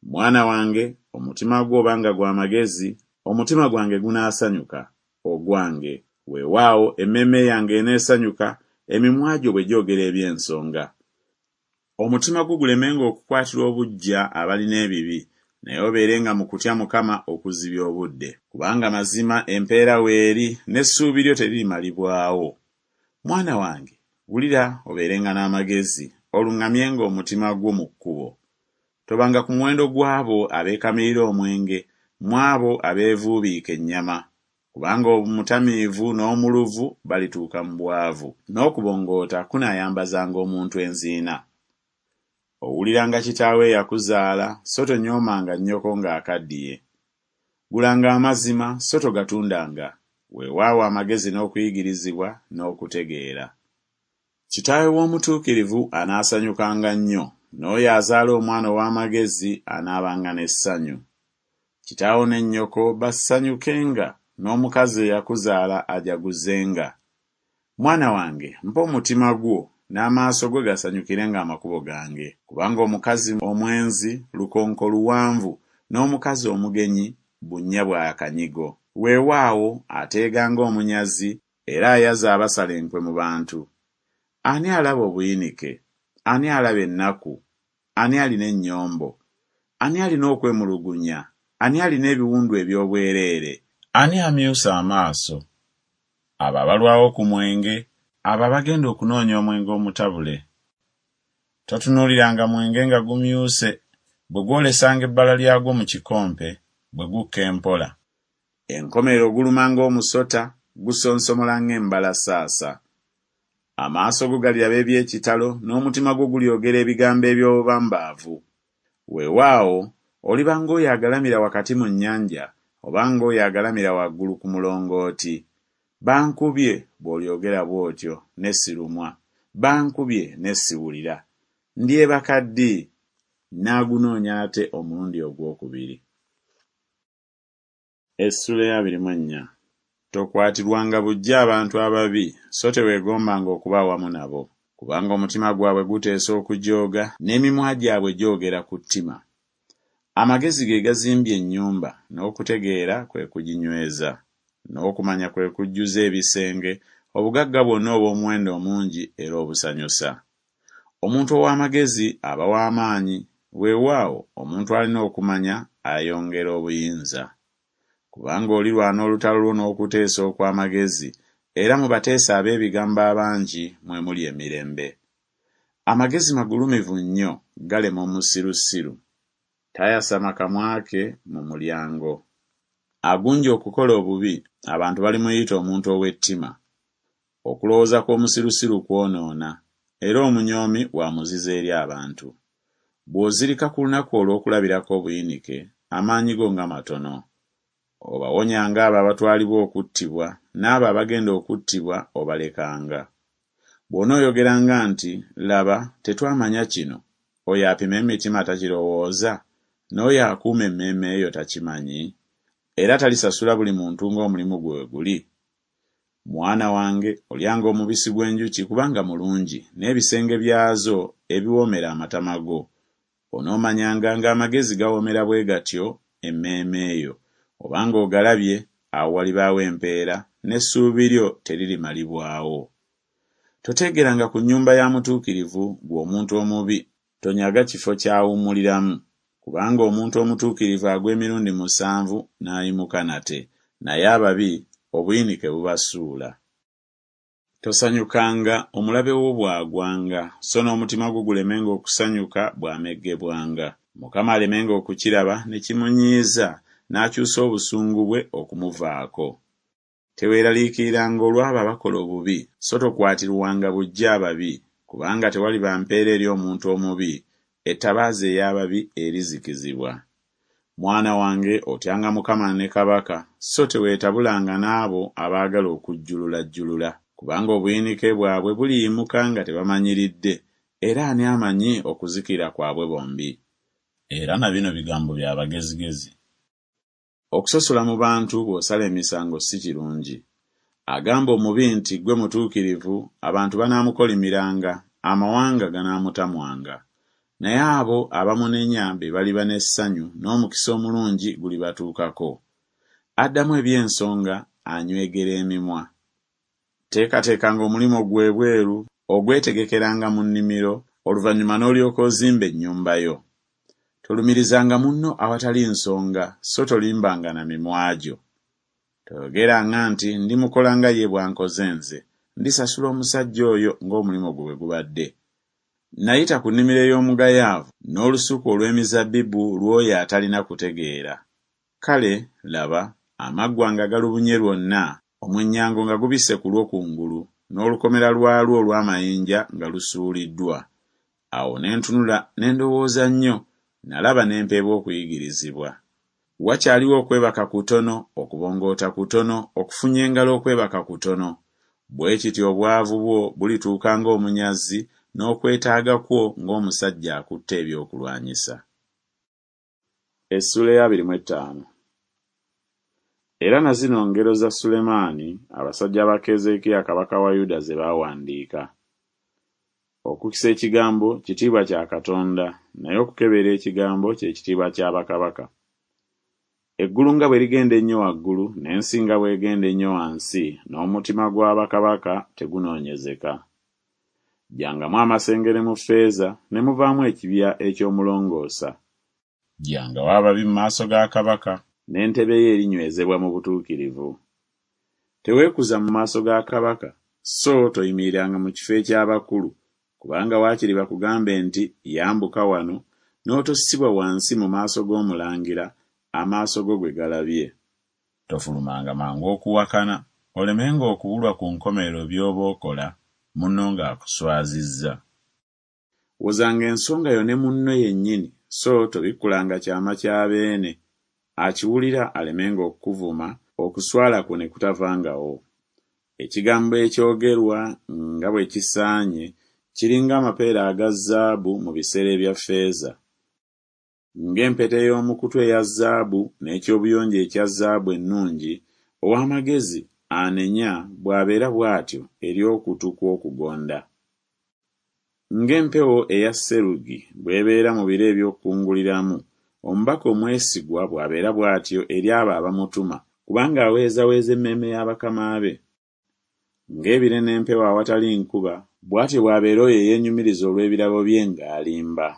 Mwana wange, omutima gwo obanga gwa magezi, omutima gwange gunaasanyuka, ogwange. Weewaawo emmeeme yange eneesanyuka, emimwa gyo bwe gyogera eby'ensonga. Omutima gwo gulemenga okukwatirwa obuggya abalina ebibi, naye obeerenga mu kutya Mukama okuzibya obudde. Kubanga mazima empeera weeri, n'essuubi lyo teririmalibwawo. Mwana wange, wulira obeerenga n'amagezi, oluŋŋamyenga omutima gwo mu kkubo. Tobanga ku muwendo gw'abo abeekamirira omwenge, mu abo abeevuubiika ennyama. Kubanga omutamiivu n'omuluvu balituuka mu bwavu, n'okubongoota kunaayambazanga omuntu enziina. Owuliranga kitaawo eyakuzaala, so tonyoomanga nnyoko ng'akaddiye. Gulanga amazima, so togatundanga, weewaawo amagezi n'okuyigirizibwa n'okutegeera. Kitaawe w'omutuukirivu anaasanyukanga nnyo, n'oyo azaala omwana ow'amagezi anaabanga n'essanyu. Kitaawo ne nnyoko basanyukenga, n'omukazi eyakuzaala ajaguzenga. Mwana wange, mpa omutima gwo, n'amaaso go gasanyukirenga amakubo gange. Kubanga omukazi omwenzi lukonko luwanvu, n'omukazi omugenyi bunnya bwa kanyigo. Weewaawo ateega ng'omunyazi, era ayaza abasala enkwe mu bantu. Ani alaba obuyinike? Ani alaba ennaku? Ani alina ennyombo? Ani alina okwemulugunya? Ani alina ebiwundu eby'obwereere? Ani amyusa amaaso? Abo abalwawo ku mwenge, abo abagenda okunoonya omwenge omutabule. Totunuuliranga mwenge nga gumyuse, bwe gwolesanga ebbala lyagwo mu kikompe, bwe gukka empola. Enkomerero guluma ng'omusota, gusonsomola ng'embalasaasa. Amaaso go galiraba eby'ekitalo, n'omutima gwo gulyogera ebigambo eby'obubambaavu. Weewaawo oliba ng'oyo agalamira wakati mu nnyanja, oba ng'oyo agalamira waggulu ku mulongooti. Bankubye, bw'olyogera bw'otyo, ne sirumwa, bankubye ne siwulira. Ndyebaka ddi? Nnaagunoonya nate omulundi ogwokubiri. Essuula ey'abiri mu ennya. Tokwatirwanga buggya abantu ababi, so teweegombanga okuba awamu nabo. Kubanga omutima gwabwe guteesa okujooga, n'emimwa gyabwe gyogera ku ttima. Amagezi ge gazimbye ennyumba, n'okutegeera kwe kuginyweza. N'okumanya kwe kujjuza ebisenge, obugagga bwonna obw'omuwendo omungi era obusanyusa. Omuntu ow'amagezi aba w'amaanyi, weewaawo omuntu alina okumanya ayongera obuyinza. Kubanga olirwana olutalo lwo n'okuteesa okw'amagezi, era mu bateesa ab'ebigambo abangi mwe muli emirembe. Amagezi magulumivu nnyo, galema omusirusiru. Tayasama kamwa ke mu mulyango. Agunja okukola obubi, abantu balimuyita omuntu ow'ettima. Okulowooza kw'omusirusiru kwonoona, era omunyoomi wa muzizo eri abantu. Bw'ozirika ku lunaku olw'okulabirako obuyinike, amaanyi go nga matono. Obawonyanga abo abatwalibwa okuttibwa, n'abo abagenda okuttibwa obalekanga. Bw'onooyogeranga nti, Laba, tetwamanya kino, oyo apima emitima takirowooza, n'oyo akuuma emmeeme yo takimanyi? Era talisasula buli muntu ng'omulimu gwe bwe guli? Mwana wange, olyanga omubisi gw'enjuki kubanga mulungi, n'ebisenge byazo ebiwoomera amatama go. Onoomanyanga ng'amagezi gawoomera bwe gatyo emmeeme yo. Obanga ogalabye, awo walibaawo empeera, n'essuubi lyo teririmalibwawo. Toteegeranga ku nnyumba ya mutuukirivu, ggwe omuntu omubi, tonyaga kifo ky'awummuliramu. Kubanga omuntu omutuukirivu agwa emirundi musanvu n'ayimuka nate, naye ababi obuyinike bubasuula. Tosanyukanga omulabe wo bw'agwanga, so n'omutima gwo gulemenga okusanyuka bw'ameggebwanga. Mukama alemenga okukiraba ne kimunyiiza, n'akyusa obusungu bwe okumuvaako. Teweeraliikiriranga olw'abo abakola obubi, so tokwatirwanga buggya ababi, kubanga tewaliba mpeera eri omuntu omubi, ettabaaza ey'ababi erizikizibwa. Mwana wange otyanga Mukama ne kabaka, so teweetabulanga n'abo abaagala okujjululajjulula. Kubanga obuyinike bwabwe buliyimuka nga tebamanyiridde, era ani amanyi okuzikirira kwabwe bombi? Era na bino bigambo bya bagezigezi. Okusosola mu bantu bw'osala emisango si kirungi. Agamba omubi nti ggwe mutuukirivu, abantu banaamukolimiranga, amawanga ganaamutamwanga. Naye abo abamunenya be baliba n'essanyu, n'omukisa omulungi gulibatuukako. Addamu eby'ensonga anywegera emimwa. Teekateekanga omulimu gwo ebweru, ogwetegekeranga mu nnimiro, oluvannyuma n'olyoka ozimba ennyumba yo. Tolumirizanga munno awatali nsonga, so tolimbanga na mimwa gyo. Toyogeranga nti ndimukola nga ye bw'ankoze nze, ndisasula omusajja oyo ng'omulimu gwe bwe gubadde. Nayita ku nnimiro ey'omugayaavu, n'olusuku olw'emizabbibu lw'oyo atalina kutegeera. Kale, laba, amaggwa nga galubunye lwonna, omwennyango nga gubisse ku lwo kungulu, n'olukomera lwalwo olw'amayinja nga lusuuliddwa. Awo ne ntunula ne ndowooza nnyo, nalaba ne mpeebwa okuyigirizibwa. Wakyaliwo okwebaka kutono, okubongoota kutono, okufunya engalo okwebaka kutono. Bwe kityo obwavu bwo bulituuka ng'omunyazi, n'okwetaaga kwo ng'omusajja akutte ebyokulwanyisa. Essuula ey'abiri mu ettaano. Era na zino ngero za Sulemaani, abasajja ba Keezeekiya kabaka wa Yuda ze baawandiika. Okukisa ekigambo kitiibwa kya Katonda, naye okukebera ekigambo kye kitiibwa kya bakabaka. Eggulu nga bwe ligenda ennyo waggulu, n'ensi nga bw'egenda ennyo wansi, n'omutima gwa bakabaka tegunoonyezeka. Ggyangamu amasengere mu ffeeza, ne muvaamu ekibya eky'omulongoosa. Ggyangawo ababi mu maaso ga kabaka, n'entebe ye erinywezebwa mu butuukirivu. Teweekuza mu maaso ga kabaka, so toyimiriranga mu kifo eky'abakulu, kubanga waakiri bakugambe nti yambuka wano, n'otossibwa wansi mu maaso g'omulangira, amaaso go gwe galabye. Tofulumanga mangu okuwakana, olemenga okubulwa ku nkomerero by'oba okola, munno ng'akuswazizza. Wozanga ensonga yo ne munno yennyini, so tobikkulanga kyama kya beene, akiwulira alemenga okukuvuma, okuswala kwo ne kutavangawo. Ekigambo ekyogerwa nga bwe kisaanye kiri ng'amapeera aga zaabu mu bisero ebya ffeeza. Ng'empeta ey'omu kutu eya zaabu n'eky'obuyonjo ekya zaabu ennungi, ow'amagezi anenya bw'abeera bw'atyo eri okutu kw'okugonda. Ng'empewo eya serugi bw'ebeera mu biro eby'okukunguliramu, omubaka omwesigwa bw'abeera bw'atyo eri abo abamutuma, kubanga aweezaweeza emmeeme ya bakama be. Ng'ebire n'empewo awatali nkuba, bw'atyo bw'abeera oyo eyeenyumiriza olw'ebirabo bye ng'alimba.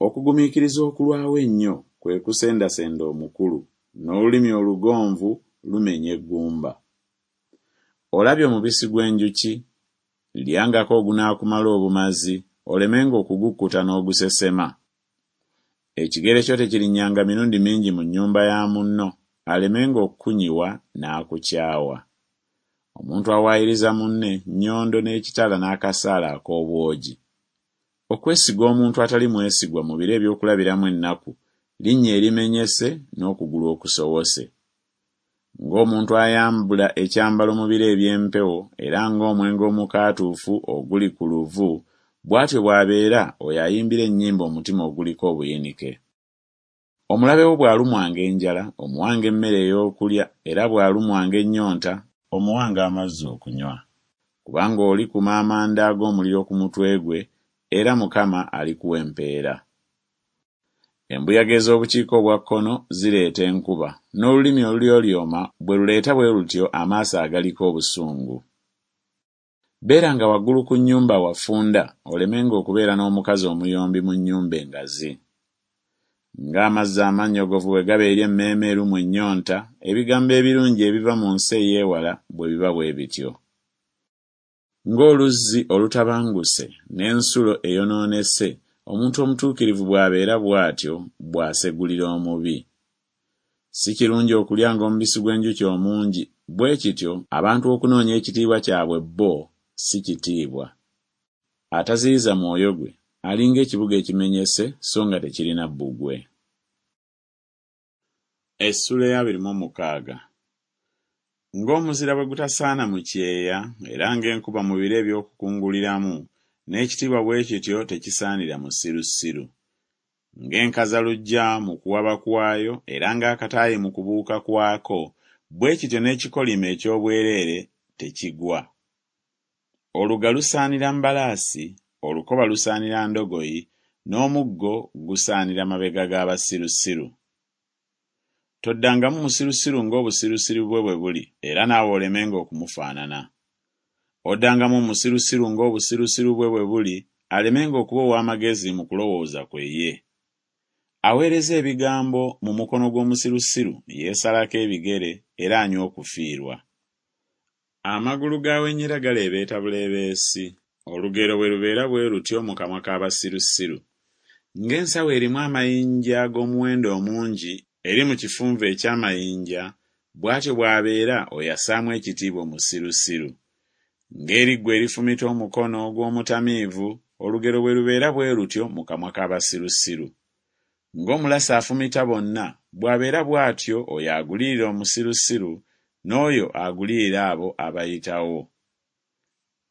Okugumiikiriza okulwawo ennyo kwe kusendasenda omukulu, n'olulimi olugonvu lumenya eggumba. Olabye omubisi gw'enjuki? Lyangako ogunaakumala obumazi, olemenga okugukkuta n'ogusesema. Ekigere kyo tekirinnyanga mirundi mingi mu nnyumba ya munno, alemenga okukunyiwa n'akukyawa. Omuntu awaayiriza munne nnyondo n'ekitala n'akasaale ak'obwogi. Okwesiga omuntu atali mwesigwa mu biro eby'okulabiramu ennaku, linnyo erimenyese n'okugulu okusowose. Ng'omuntu ayambula ekyambalo mu biro eby'empewo era ng'omwenge omukaatuufu oguli ku luvu, bw'atyo bw'abeera oyo ayimbira ennyimba omutima oguliko obuyinike. Omulabe wo bw'alumwanga enjala, omuwanga emmere ey'okulya, era bw'alumwanga ennyonta, omuwanga amazzi okunywa. Kubanga olikuma amanda ag'omuliro ku mutwe gwe, era Mukama alikuwa empeera. Embuyaga ez'obukiika obwa kkono zireeta enkuba, n'olulimi olulyolyoma bwe luleeta bwe lutyo amaaso agaliko obusungu. Beeranga waggulu ku nnyumba awafunda olemenga okubeera n'omukazi omuyombi mu nnyumba engazi. Ng'amazzi amannyogovu bwe gaba eri emmeeme erumwa ennyonta, ebigambo ebirungi ebiva mu nsi ey'ewala bwe biba bwe bityo. Ng'oluzzi olutabanguse n'ensulo eyonoonese, omuntu omutuukirivu bw'abeera bw'atyo bw'asegulira omubi. Si kirungi okulyanga omubisi gw'enjuki omungi, bwe kityo abantu okunoonya ekitiibwa kyabwe bo si kitiibwa. Ataziyiza mwoyo gwe alinga ekibuga ekimenyese so nga tekirina bbugwe. Essuula ey'abiri mu mukaaga. Ng'omuzira bwe gutasaana mu kyeya era ng'enkuba mu biro eby'okukunguliramu, n'ekitiibwa bwe kityo tekisaanira musirusiru. Ng'enkazaluggya mu kuwaba kwayo era ng'akataayi mu kubuuka kwako, bwe kityo n'ekikolimo eky'obwereere tekigwa. Oluga lusaanira mbalaasi, olukoba lusaanira ndogoyi, n'omuggo gusaanira mabega g'abasirusiru. Toddangamu musirusiru ng'obusirusiru bwe bwe buli, era naawe olemenga okumufaanana. Oddangamu omusirusiru ng'obusirusiru bwe bwe buli, alemenga okuba ow'amagezi mu kulowooza kwe ye. Aweereza ebigambo mu mukono gw'omusirusiru yeesalako ebigere era anywa okufiirwa. Amagulu g'awenyera galeebeeta buleebeesi, olugero bwe lubeera bwe lutyo mu kamwa k'abasirusiru. Ng'ensawo erimu amayinja ag'omuwendo omungi eri mu kifunvu eky'amayinja, bw'atyo bw'abeera oyo assaamu ekitiibwa omusirusiru. Ng'eriggwa erifumita omukono gw'omutamiivu, olugero bwe lubeera bwe lutyo mu kamwa k'abasirusiru. Ng'omulasi afumita bonna, bw'abeera bw'atyo oyo agulirira omusirusiru, n'oyo agulirira abo abayitawo.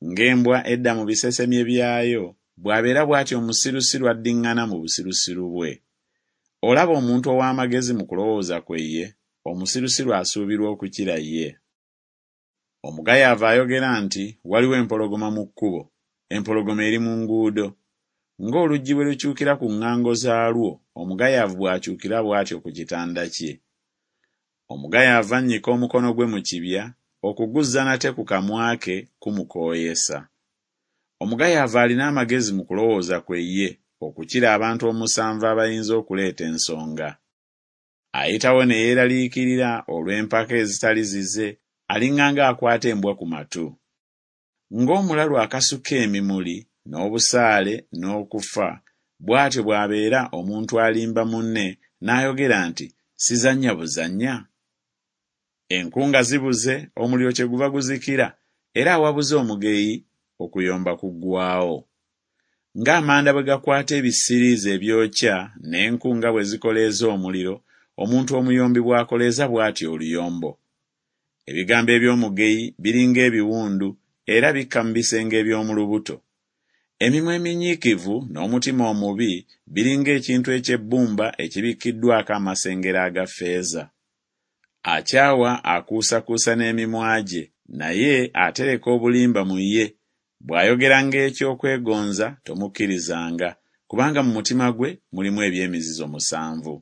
Ng'embwa edda mu bisesemye byayo, bw'abeera bw'atyo omusirusiru addiŋŋana mu busirusiru bwe. Olaba omuntu ow'amagezi mu kulowooza kwe ye, omusirusiru asuubirwa okukira ye. Omugayaavu ayogera nti waliwo empologoma mu kkubo, empologoma eri mu nguudo. Ng'oluggi bwe lukyukira ku ŋŋango zaalwo, omugayaavu bw'akyukira bw'atyo ku kitanda kye. Omugayaavu annyika omukono gwe mu kibya, okuguzza nate ku kamwa ke kumukooyesa. Omugayaavu alina amagezi mu kulowooza kwe ye okukira abantu omusanvu abayinza okuleeta ensonga. Ayitawo ne yeeraliikirira olw'empaka ezitali zize, aliŋŋanga akwata embwa ku matu. Ng'omulalu akasuka emimuli n'obusaale n'okufa, bw'atyo bw'abeera omuntu alimba munne n'ayogera nti, Sizannya buzannya? Enku nga zibuze, omuliro kyeguva guzikira, era awabuze omugeyi, okuyomba kuggwaawo. Ng'amanda bwe gakwata ebisiriiza ebyokya, n'enku nga bwe zikoleeza omuliro, omuntu omuyombi bw'akoleeza bw'atyo oluyombo. Ebigambo eby'omugeyi biringa ebiwundu, era bikka mu bisenge eby'omu lubuto. Emimwa eminyiikivu n'omutima omubi biringa ekintu eky'ebbumba ekibikkiddwako amasengere aga ffeeza. Akyawa akuusakuusa n'emimwa gye, naye atereka obulimba mu ye. Bw'ayogeranga eky'okwegonza tomukkirizanga, kubanga mu mutima gwe mulimu eby'emizizo musanvu.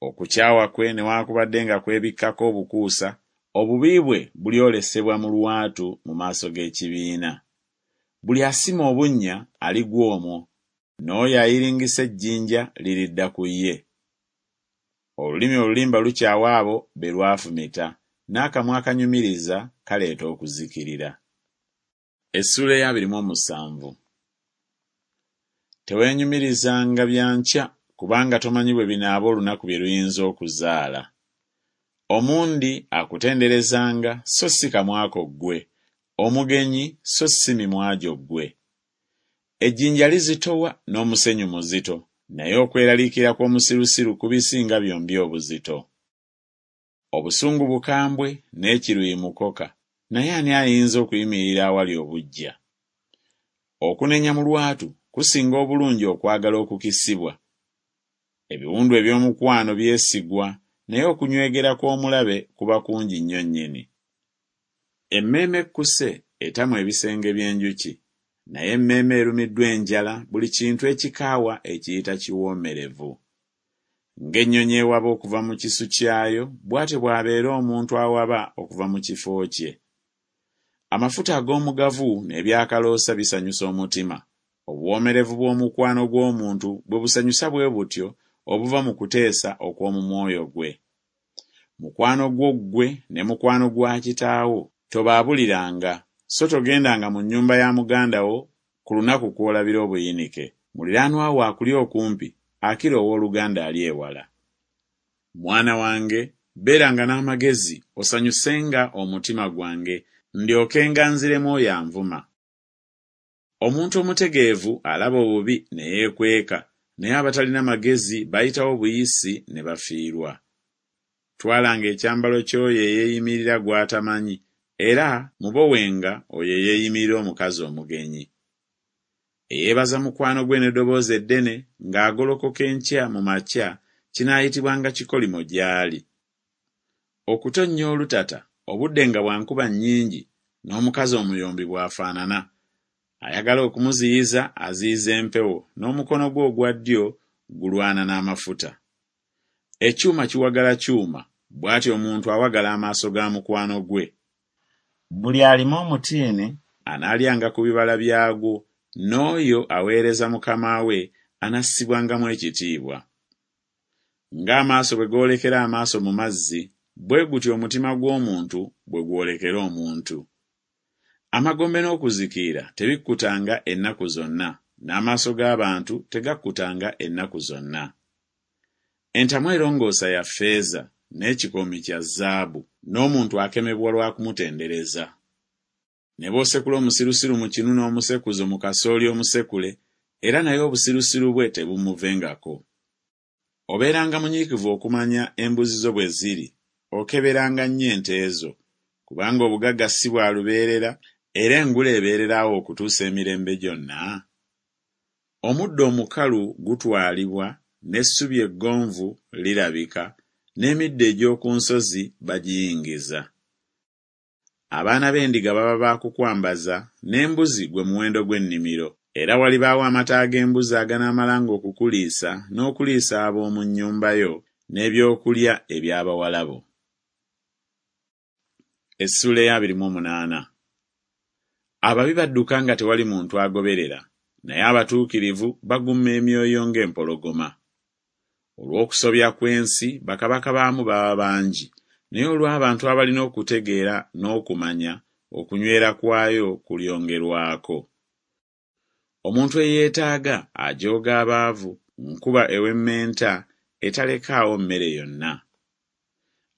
Okukyawa kwe newaakubadde nga kwebikkako obukuusa, obubi bwe bulyolesebwa mu lwatu mu maaso g'ekibiina. Buli asima obunnya aligwa omwo, n'oyo ayiringisa ejjinja liridda ku ye. Olulimi olulimba lukyawa abo be lwafumita, n'akamwa akanyumiriza kaleeta okuzikirira. Essuula ey'abiri mu omusanvu. Teweenyumirizanga bya nkya, kubanga tomanyi bwe binaaba olunaku bye luyinza okuzaala. Omundi akutenderezanga, so si kamwa ko ggwe, omugenyi, so si mimwa gyo ggwe. Ejjinja lizitowa n'omusenyu muzito, naye okweraliikirira kw'omusirusiru kubisinga byombi obuzito. Obusungu bukambwe n'ekiruyi mukoka, naye ani ayinza okuyimirira awali obuggya? Okunenya mu lwatu kusinga obulungi okwagala okukisibwa. Ebiwundu eby'omukwano byesigwa, naye okunywegera kw'omulabe kuba kungi nnyo nnyini. Emmeeme ekkuse etamwa ebisenge by'enjuki, naye emmeeme erumiddwa enjala buli kintu ekikaawa ekiyita kiwoomerevu. Ng'ennyonyi ewaba okuva mu kisu kyayo, bw'atyo bw'abeera omuntu awaba okuva mu kifo kye. Amafuta ag'omugavu n'ebyakaloosa bisanyusa omutima. Obuwoomerevu bw'omukwano gw'omuntu bwe busanyusa bwe butyo obuva mu kuteesa okw'omu mwoyo gwe. Mukwano gwo ggwe ne mukwano gwa kitaawo tobaabuliranga, so togendanga mu nnyumba ya muganda wo ku lunaku kw'olabira obuyinike. Muliraanwa wo akuli okumpi akira owooluganda ali ewala. Mwana wange, beeranga n'amagezi, osanyusenga omutima gwange, ndyokenga nziremu oyo anvuma. Omuntu omutegeevu alaba obubi ne yeekweka, naye abatalina magezi bayitawo buyisi ne bafiirwa. Twalanga ekyambalo ky'oyo eyeeyimirira gw'atamanyi, era mubowenga oyo eyeeyimirira omukazi omugenyi. Eyeebaza mukwano gwe n'eddoboozi eddene ng'agolokoka enkya mu makya kinaayitibwanga kikolimo gy'ali. Okutonnya olutata obudde nga bwa nkuba nnyingi n'omukazi omuyombi bw'afaanana. Ayagala okumuziyiza aziyiza empewo, n'omukono gwe ogwa ddyo gulwana n'amafuta. Ekyuma kiwagala kyuma, bw'atyo omuntu awagala amaaso ga mukwano gwe. Buli alima omutiini anaalyanga ku bibala byagwo, n'oyo aweereza mukama we anassibwangamu ekitiibwa. Ng'amaaso bwe goolekera amaaso mu mazzi, bwe gutyo omutima gw'omuntu bwe gwolekera omuntu. Amagombe n'okuzikirira tebikkutanga ennaku zonna, n'amaaso g'abantu tegakkutanga ennaku zonna. Entamu erongoosa ya ffeeza, n'ekikoomi kya zaabu, n'omuntu akemebwa lwa kumutendereza. Ne bw'osekula omusirusiru mu kinu n'omusekuzo mu kasooli omusekule, era naye obusirusiru bwe tebumuvengako. Obeeranga munyiikivu okumanya embuzi zo bwe ziri, okeberanga nnyo ente zo, kubanga obugagga si bwa lubeerera, era engule ebeererawo okutuusa emirembe gyonna. Omuddo omukalu gutwalibwa, n'essubi eggonvu lirabika, n'emiddo egy'oku nsozi bagiyingiza. Abaana b'endiga baba ba kukwambaza, n'embuzi gwe muwendo gw'ennimiro. Era walibaawo amata ag'embuzi aganaamalanga okukuliisa n'okuliisa ab'omu nnyumba yo, n'ebyokulya eby'abawala bo. Essuula ey'abiri mu omunaana. Ababi badduka nga tewali muntu agoberera, naye abatuukirivu baguma emyoyo ng'empologoma. Olw'okusobya kw'ensi bakabaka baamu baba bangi, naye olw'abantu abalina okutegeera n'okumanya okunywera kwayo kulyongerwako. Omuntu eyeetaaga ajooga abaavu, nkuba ewemmenta etalekaawo mmere yonna.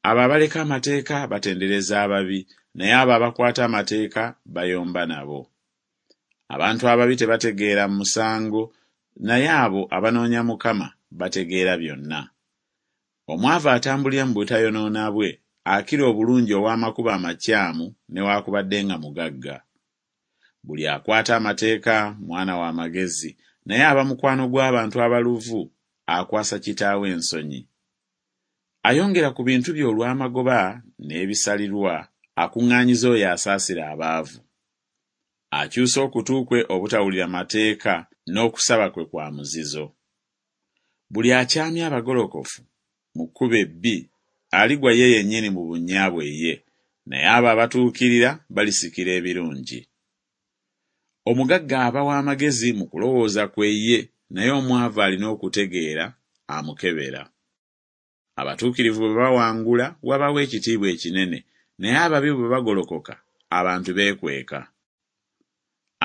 Abo abaleka amateeka batendereza ababi, naye abo abakwata amateeka bayomba nabo. Abantu ababi tebategeera musango, naye abo abanoonya Mukama bategeera byonna. Omwavu atambulira mu butayonoona bwe akira obulungi ow'amakubo amakyamu newaakubadde nga mugagga. Buli akwata amateeka mwana wa magezi, naye aba mukwano gw'abantu abaluvu akwasa kitaawe ensonyi. Ayongera ku bintu bye olw'amagoba n'ebisalirwa, akuŋŋaanyiza oyo asaasira abaavu. Akyusa okutu kwe obutawulira mateeka, n'okusaba kwe kwa muzizo. Buli akyamya abagolokofu mu kkubo ebbi aligwa ye yennyini mu bunnya bwe ye, naye abo abatuukirira balisikira ebirungi. Omugagga aba w'amagezi mu kulowooza kwe ye, naye omwavu alina okutegeera amukebera. Abatuukirivu bwe bawangula wabaawo ekitiibwa ekinene, naye ababi bwe bagolokoka abantu beekweka.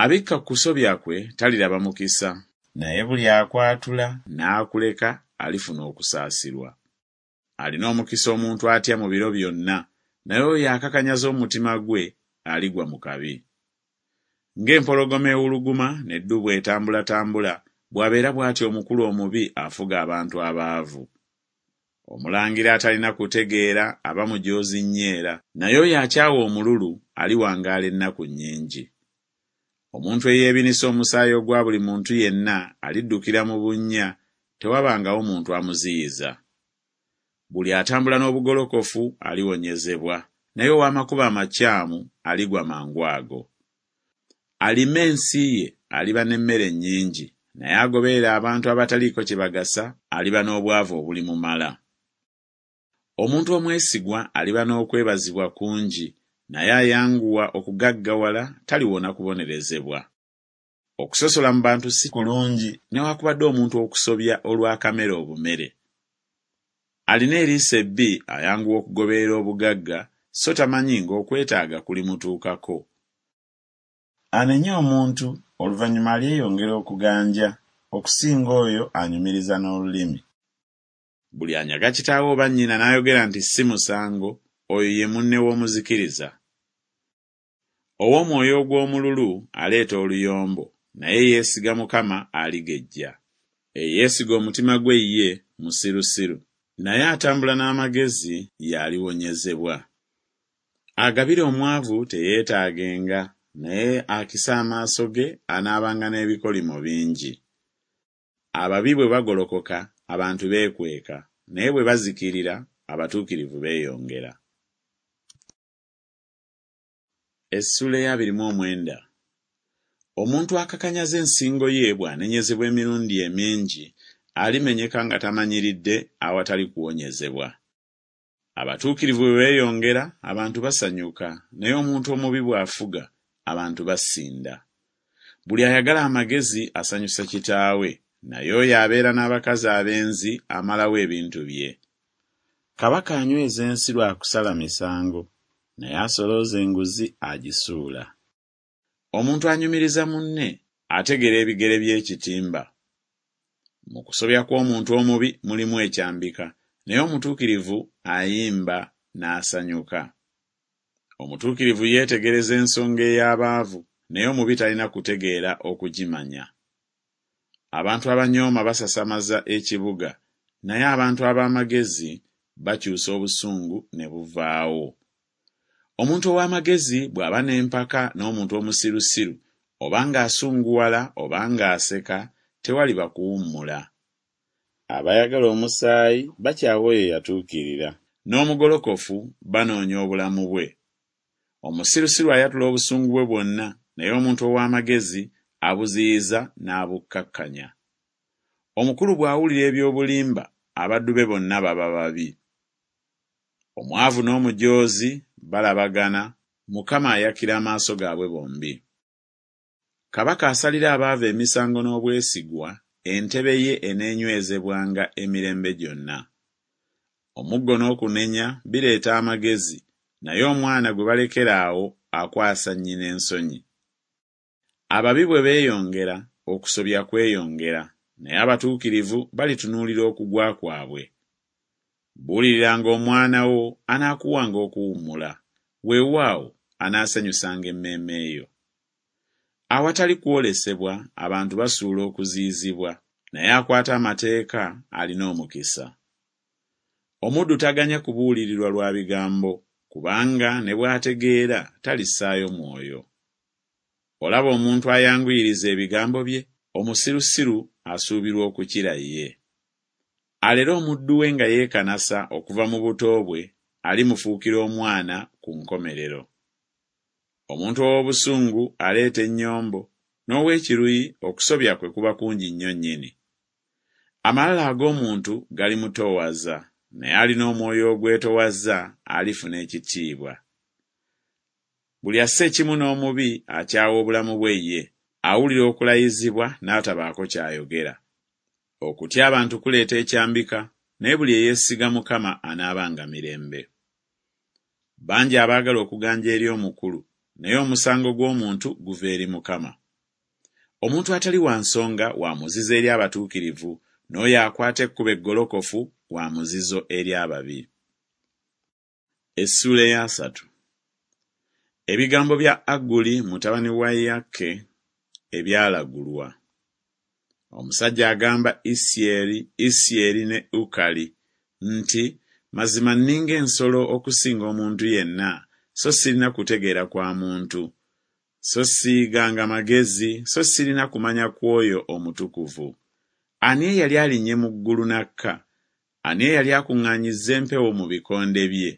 Abikka ku kusobya kwe taliraba mukisa, naye buli akwatula n'akuleka alifuna okusaasirwa. Alina omukisa omuntu atya mu biro byonna, naye oyo akakanyaza omutima gwe aligwa mu kabi. Ng'empologoma ewuluguma n'eddubu etambulatambula, bw'abeera bw'atyo omukulu omubi afuga abantu abaavu. Omulangira atalina kutegeera aba mujoozi nnyo era, naye oyo akyawa omululu aliwangaala ennaku nnyingi. Omuntu eyeebinisa omusaayi ogwa buli muntu yenna aliddukira mu bunnya, tewabangawo muntu amuziyiza. Buli atambula n'obugolokofu aliwonyezebwa, naye ow'amakubo amakyamu aligwa mangu ago. Alima ensi ye aliba n'emmere nnyingi, naye agoberera abantu abataliiko kye bagasa aliba n'obwavu obulimumala. Omuntu omwesigwa aliba n'okwebazibwa kungi, naye ayanguwa okugaggawala taliwona kubonerezebwa. Okusosola mu bantu si kulungi, newakubadde omuntu okusobya olw'akamere obumere. Alina eriiso ebbi ayanguwa okugoberera obugagga, so tamanyi ng'okwetaaga kulimutuukako. Anenya omuntu oluvannyuma alyeyongera okuganja, okusinga oyo anyumiriza n'olulimi. Buli anyaga kitaawe oba nnyina n'ayogera nti si musango, oyo ye munne w'omuzikiriza. Ow'omwoyo ogw'omululu aleeta oluyombo, naye eyeesiga Mukama aligejja. Eyeesiga omutima gwe ye, musirusiru, naye atambula n'amagezi y'aliwonyezebwa. Agabira omwavu teyeetaagenga, naye akisa amaaso ge anaabanga n'ebikolimo bingi. Ababi bwe bagolokoka, abantu beekweka, naye bwe bazikirira, abatuukirivu beeyongera. Essuula ey'abiri mu omwenda. Omuntu akakanyaza ensingo ye bw'anenyezebwa emirundi emingi, alimenyeka nga tamanyiridde awatali kuwonyezebwa. Abatuukirivu bwe beeyongera, abantu basanyuka, naye omuntu omubi bw'afuga, abantu basinda. Buli ayagala amagezi asanyusa kitaawe, naye oyo abeera n'abakazi abenzi amalawo ebintu bye. Kabaka anyweza ensi lwa kusala misango, naye asolooza enguzi agisuula. Omuntu anyumiriza munne ategera ebigere by'ekitimba. Mu kusobya kw'omuntu omubi mulimu ekyambika, naye omutuukirivu ayimba n'asanyuka. Omutuukirivu yeetegereza ensonga ey'abaavu, naye omubi talina kutegeera okugimanya. Abantu abanyooma basasamaza ekibuga, naye abantu ab'amagezi bakyusa obusungu ne buvaawo. Omuntu ow'amagezi bw'aba n'empaka n'omuntu omusirusiru, oba ng'asunguwala oba ng'aseka, tewaliba kuwummula. Abayagala omusaayi bakyawa oyo eyatuukirira, n'omugolokofu banoonya obulamu bwe. Omusirusiru ayatula obusungu bwe bwonna, naye omuntu ow'amagezi abuziyiza n'abukkakkanya. Omukulu bw'awulira eby'obulimba, abaddu be bonna baba babi. Omwavu n'omujoozi balabagana, Mukama ayakira amaaso gaabwe bombi. Kabaka asalira abaavu emisango n'obwesigwa, entebe ye eneenywezebwanga emirembe gyonna. Omuggo n'okunenya bireeta amagezi, naye omwana gwe balekera awo akwasa nnyina ensonyi. Ababi bwe beeyongera, okusobya kweyongera, naye abatuukirivu balitunuulira okugwa kwabwe. Buuliriranga omwana wo, anaakuwanga okuwummula, weewaawo anaasanyusanga emmeeme yo. Awatali kwolesebwa abantu basuula okuziyizibwa, naye akwata amateeka alina omukisa. Omuddu taganya kubuulirirwa lwa bigambo, kubanga ne bw'ategeera talissaayo mwoyo. Olaba omuntu ayanguyiriza ebigambo bye? Omusirusiru asuubirwa okukira ye. Alera omuddu we nga yeekanasa okuva mu buto bwe, alimufuukira omwana ku nkomerero. Omuntu ow'obusungu aleeta ennyombo, n'ow'ekiruyi okusobya kwe kuba kungi nnyo nnyini. Amalala ag'omuntu galimutoowaza, naye alina omwoyo ogwetoowaza alifuna ekitiibwa. Buli assa ekimu n'omubi akyawa obulamu bwe ye, awulira okulayizibwa n'atabaako ky'ayogera. Okutya abantu kuleeta ekyambika, naye buli eyeesiga Mukama anaabanga mirembe. Bangi abaagala okuganja eri omukulu, naye omusango gw'omuntu guva eri Mukama. Omuntu atali wa nsonga wa muzizo eri abatuukirivu, n'oyo akwata ekkubo eggolokofu wa muzizo eri ababi. Essuula eyasatu. Ebigambo bya Aguli mutabani wa Yake ebyalagulwa. Omusajja agamba Isieri, Isieri ne Ukali nti Mazima nninga ensolo okusinga omuntu yenna, so sirina kutegeera kwa muntu, so siyiganga magezi, so sirina kumanya kw'oyo omutukuvu. Ani eyali alinnye mu ggulu n'akka? Ani eyali akuŋŋaanyizza empewo mu bikonde bye?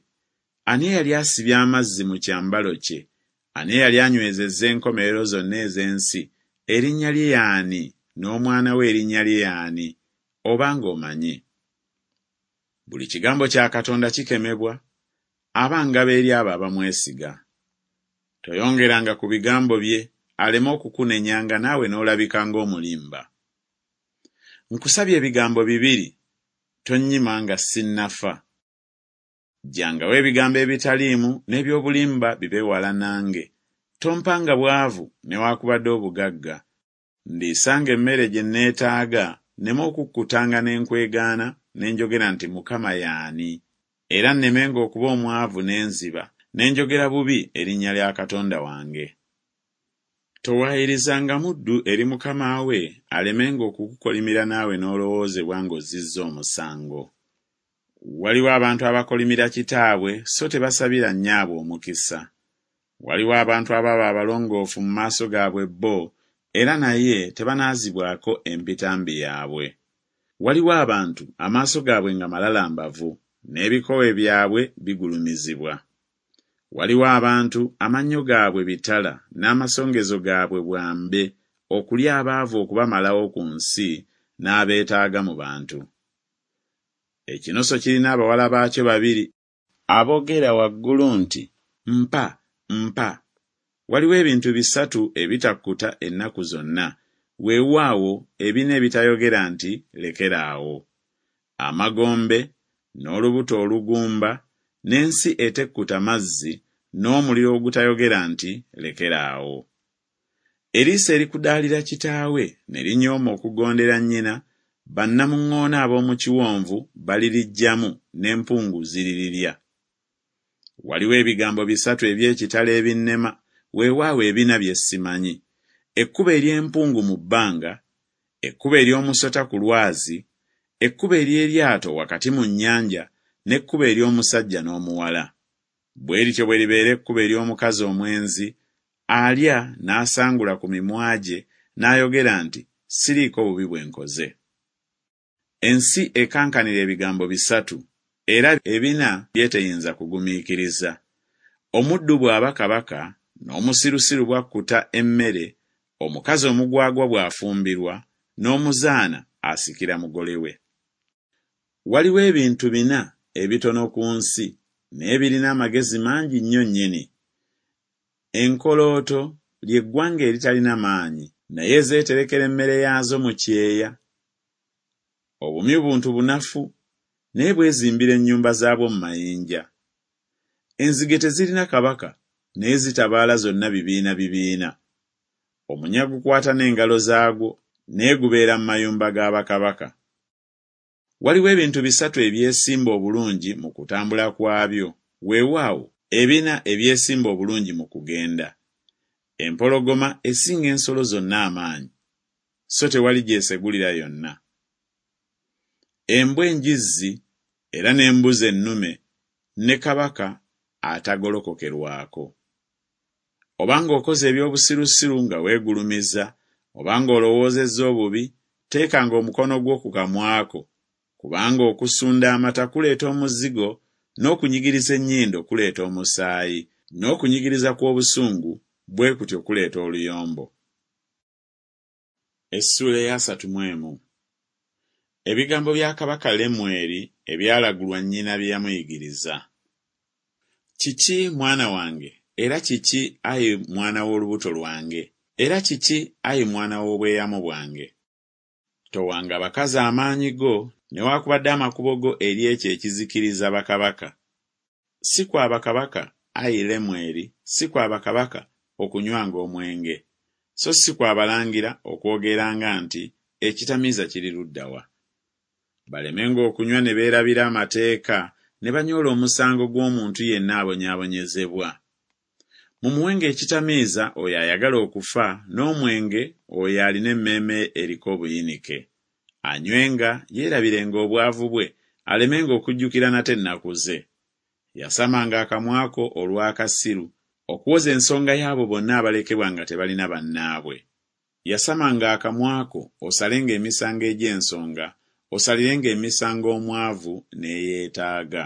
Ani eyali asibye amazzi mu kyambalo kye? Ani eyali anywezezza enkomerero zonna ez'ensi? Erinnya lye y'ani? n'omwana we erinnya lye y'ani, obanga omanyi. Buli kigambo kya Katonda kikemebwa, aba ngabo eri abo abamwesiga. Toyongeranga ku bigambo bye, aleme okukunenyanga naawe n'olabika ng'omulimba. Nkusabye ebigambo bibiri, tonnyima nga sinnafa. Ggyangawo ebigambo ebitaliimu n'eby'obulimba bibe wala nange. Tompanga bwavu newaakubadde obugagga. Ndiisanga emmere gye neetaaga, nneme okukkutanga ne nkwegaana ne njogera nti Mukama y'ani? Era nnemenga okuba omwavu ne nziba, ne njogera bubi erinnya lya Katonda wange. Towaayirizanga muddu eri mukama we, alemenga okukukolimira naawe n'olowoozebwa ng'ozzizza omusango. Waliwo abantu abakolimira kitaabwe so tebasabira nnyaabwe omukisa. Waliwo abantu ababa abalongoofu mu maaso gaabwe bo, era naye tebanaazibwako empitambi yaabwe. Waliwo abantu amaaso gaabwe nga malalambavu, n'ebikowe byabwe bigulumizibwa. Waliwo abantu amannyo gaabwe bitala n'amasongezo gaabwe bwambe, okulya abaavu okubamalawo ku nsi n'abeetaaga mu bantu. Ekinoso kirina abawala baakyo babiri aboogera waggulu nti Mpa, mpa. Waliwo ebintu bisatu ebitakkuta ennaku zonna, weewaawo ebina ebitayogera nti Lekera awo: amagombe, n'olubuto olugumba, n'ensi etekkuta mazzi, n'omuliro ogutayogera nti Lekera awo. Eriiso erikudaalira kitaawe ne linyooma okugondera nnyina, bannamuŋŋoona ab'omu kiwonvu baliriggyamu, n'empungu ziririrya. Waliwo ebigambo bisatu eby'ekitalo ebinnema, weewaawo ebina bye simanyi: ekkubo ery'empungu mu bbanga, ekkubo ery'omusota ku lwazi, ekkubo ery'eryato wakati mu nnyanja, n'ekkubo ery'omusajja n'omuwala. Bwe lityo bwe libeera ekkubo ery'omukazi omwenzi, alya n'asangula ku mimwa gye, n'ayogera nti Siriiko bubi bwe nkoze. Ensi ekankanira ebigambo bisatu, era ebina by'eteyinza kugumiikiriza: omuddu bw'aba kabaka, n'omusirusiru bw'akkuta emmere, omukazi omugwagwa bw'afumbirwa, n'omuzaana asikira mugole we. Waliwo ebintu bina ebitono ku nsi, naye birina amagezi mangi nnyo nnyini. Enkolooto lye ggwanga eritalina maanyi, naye zeeterekera emmere yaazo mu kyeya. Obumyu buntu bunafu, naye bwezimbira ennyumba zaabwo mu mayinja. Enzige tezirina kabaka, naye zitabaala zonna bibiina bibiina. Omunya gukwata n'engalo zaagwo, naye gubeera mu mayumba ga bakabaka. Waliwo ebintu bisatu ebyesimba obulungi mu kutambula kwabyo, weewaawo ebina ebyesimba obulungi mu kugenda. Empologoma esinga ensolo zonna amaanyi, so tewali gy'esegulira yonna. Embwa enjizzi era n'embuzi ennume, ne kabaka atagolokokerwako. Obanga okoze eby'obusirusiru nga weegulumiza, obanga olowoozezza obubi, teekanga omukono gwo ku kamwa ko, kubanga okusunda amata kuleeta omuzigo, n'okunyigiriza ennyindo kuleeta omusaayi, n'okunyigiriza kw'obusungu bwe kutyo kuleeta oluyombo. Essuula ey'asatu mu emu. Ebigambo bya kabaka Lemweri ebyalagulwa nnyina bye yamuyigiriza. Kiki, mwana wange, era kiki, ayi mwana w'olubuto lwange, era kiki, ayi mwana w'obweyamo bwange? Towanga bakazi amaanyi go, newaakubadde amakubo go eri ekyo ekizikiriza bakabaka. Si kwa bakabaka, ayi Lemweri, si kwa bakabaka okunywanga omwenge, so si kwa balangira okwogeranga nti Ekitamiiza kiri ludda wa? Balemenga okunywa ne beerabira amateeka, ne banyoola omusango gw'omuntu yenna abonyaabonyezebwa. Mumuwenga ekitamiiza oyo ayagala okufa, n'omwenge oyo alina emmeeme eriko obuyinike. Anywenga, yeerabirenga obwavu bwe, alemenga okujjukira nate ennaku ze. Yasamanga akamwa ko olw'akasiru, okuwoza ensonga y'abo bonna abalekebwa nga tebalina bannaabwe. Yasamanga akamwa ko osalenga emisango egy'ensonga, osalirenga emisango omwavu n'eyeetaaga.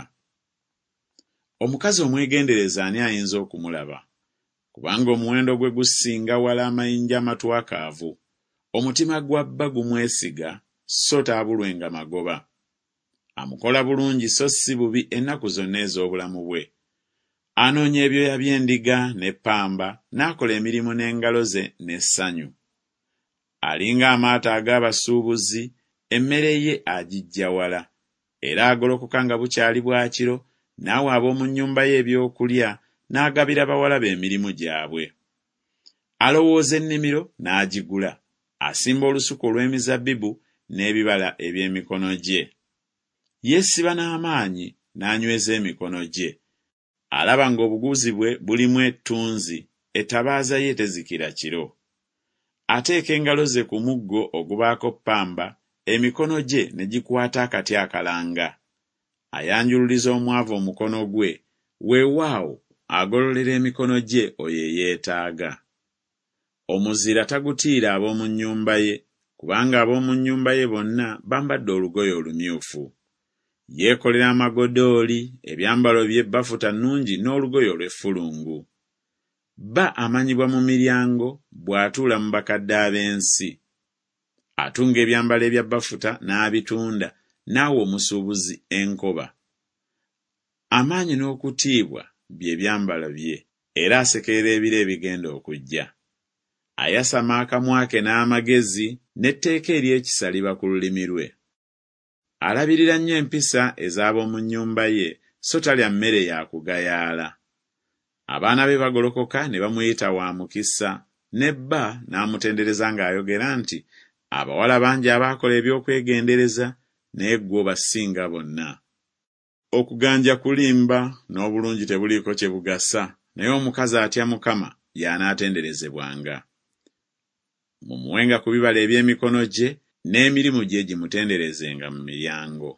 Omukazi omwegendereza ani ayinza okumulaba? Kubanga omuwendo gwe gusinga wala amayinja amatwakaavu. Omutima gwa bba gumwesiga, so taabulwenga magoba. Amukola bulungi so si bubi ennaku zonna ez'obulamu bwe. Anoonya ebyoya by'endiga n'eppamba, n'akola emirimu n'engalo ze n'essanyu. Alinga amaato ag'abasuubuzi, emmere ye agiggya wala. Era agolokoka nga bukyali bwa kiro, n'awa ab'omu nnyumba ye ebyokulya, n'agabira bawala be emirimu gyabwe. Alowooza ennimiro n'agigula, asimba olusuku olw'emizabbibu n'ebibala eby'emikono gye. Yeesiba n'amaanyi n'anyweza emikono gye. Alaba ng'obuguzi bwe bulimu ettunzi, ettabaaza ye tezikira kiro. Ateeka engalo ze ku muggo ogubaako ppamba, emikono gye ne gikwata akati akalanga. Ayanjululiza omwavu omukono gwe, weewaawo agololera emikono gye oyo eyeetaaga. Omuzira tagutiira ab'omu nnyumba ye, kubanga ab'omu nnyumba ye bonna bambadde olugoye olumyufu. Yeekolera amagodooli, ebyambalo bye bafuta nnungi n'olugoye olw'effulungu. Bba amanyibwa mu miryango bw'atuula mu bakadde ab'ensi. Atunga ebyambalo ebya bafuta n'abitunda, n'awa omusuubuzi enkoba. Amaanyi n'okutiibwa bye byambalo bye, era asekerera ebiro ebigenda okujja. Ayasama akamwa ke n'amagezi, n'etteeka ery'ekisa liba ku lulimi lwe. Alabirira nnyo empisa ez'ab'omu nnyumba ye, so talya mmere ya kugayaala. Abaana be bagolokoka ne bamuyita wa mukisa, ne bba n'amutendereza ng'ayogera nti, Abawala bangi abaakola eby'okwegendereza, naye ggwe obasinga bonna. Okuganja kulimba, n'obulungi tebuliiko kye bugasa, naye omukazi atya Mukama y'anaatenderezebwanga. Mumuwenga ku bibala eby'emikono gye, n'emirimu gye gimutenderezenga mu miryango.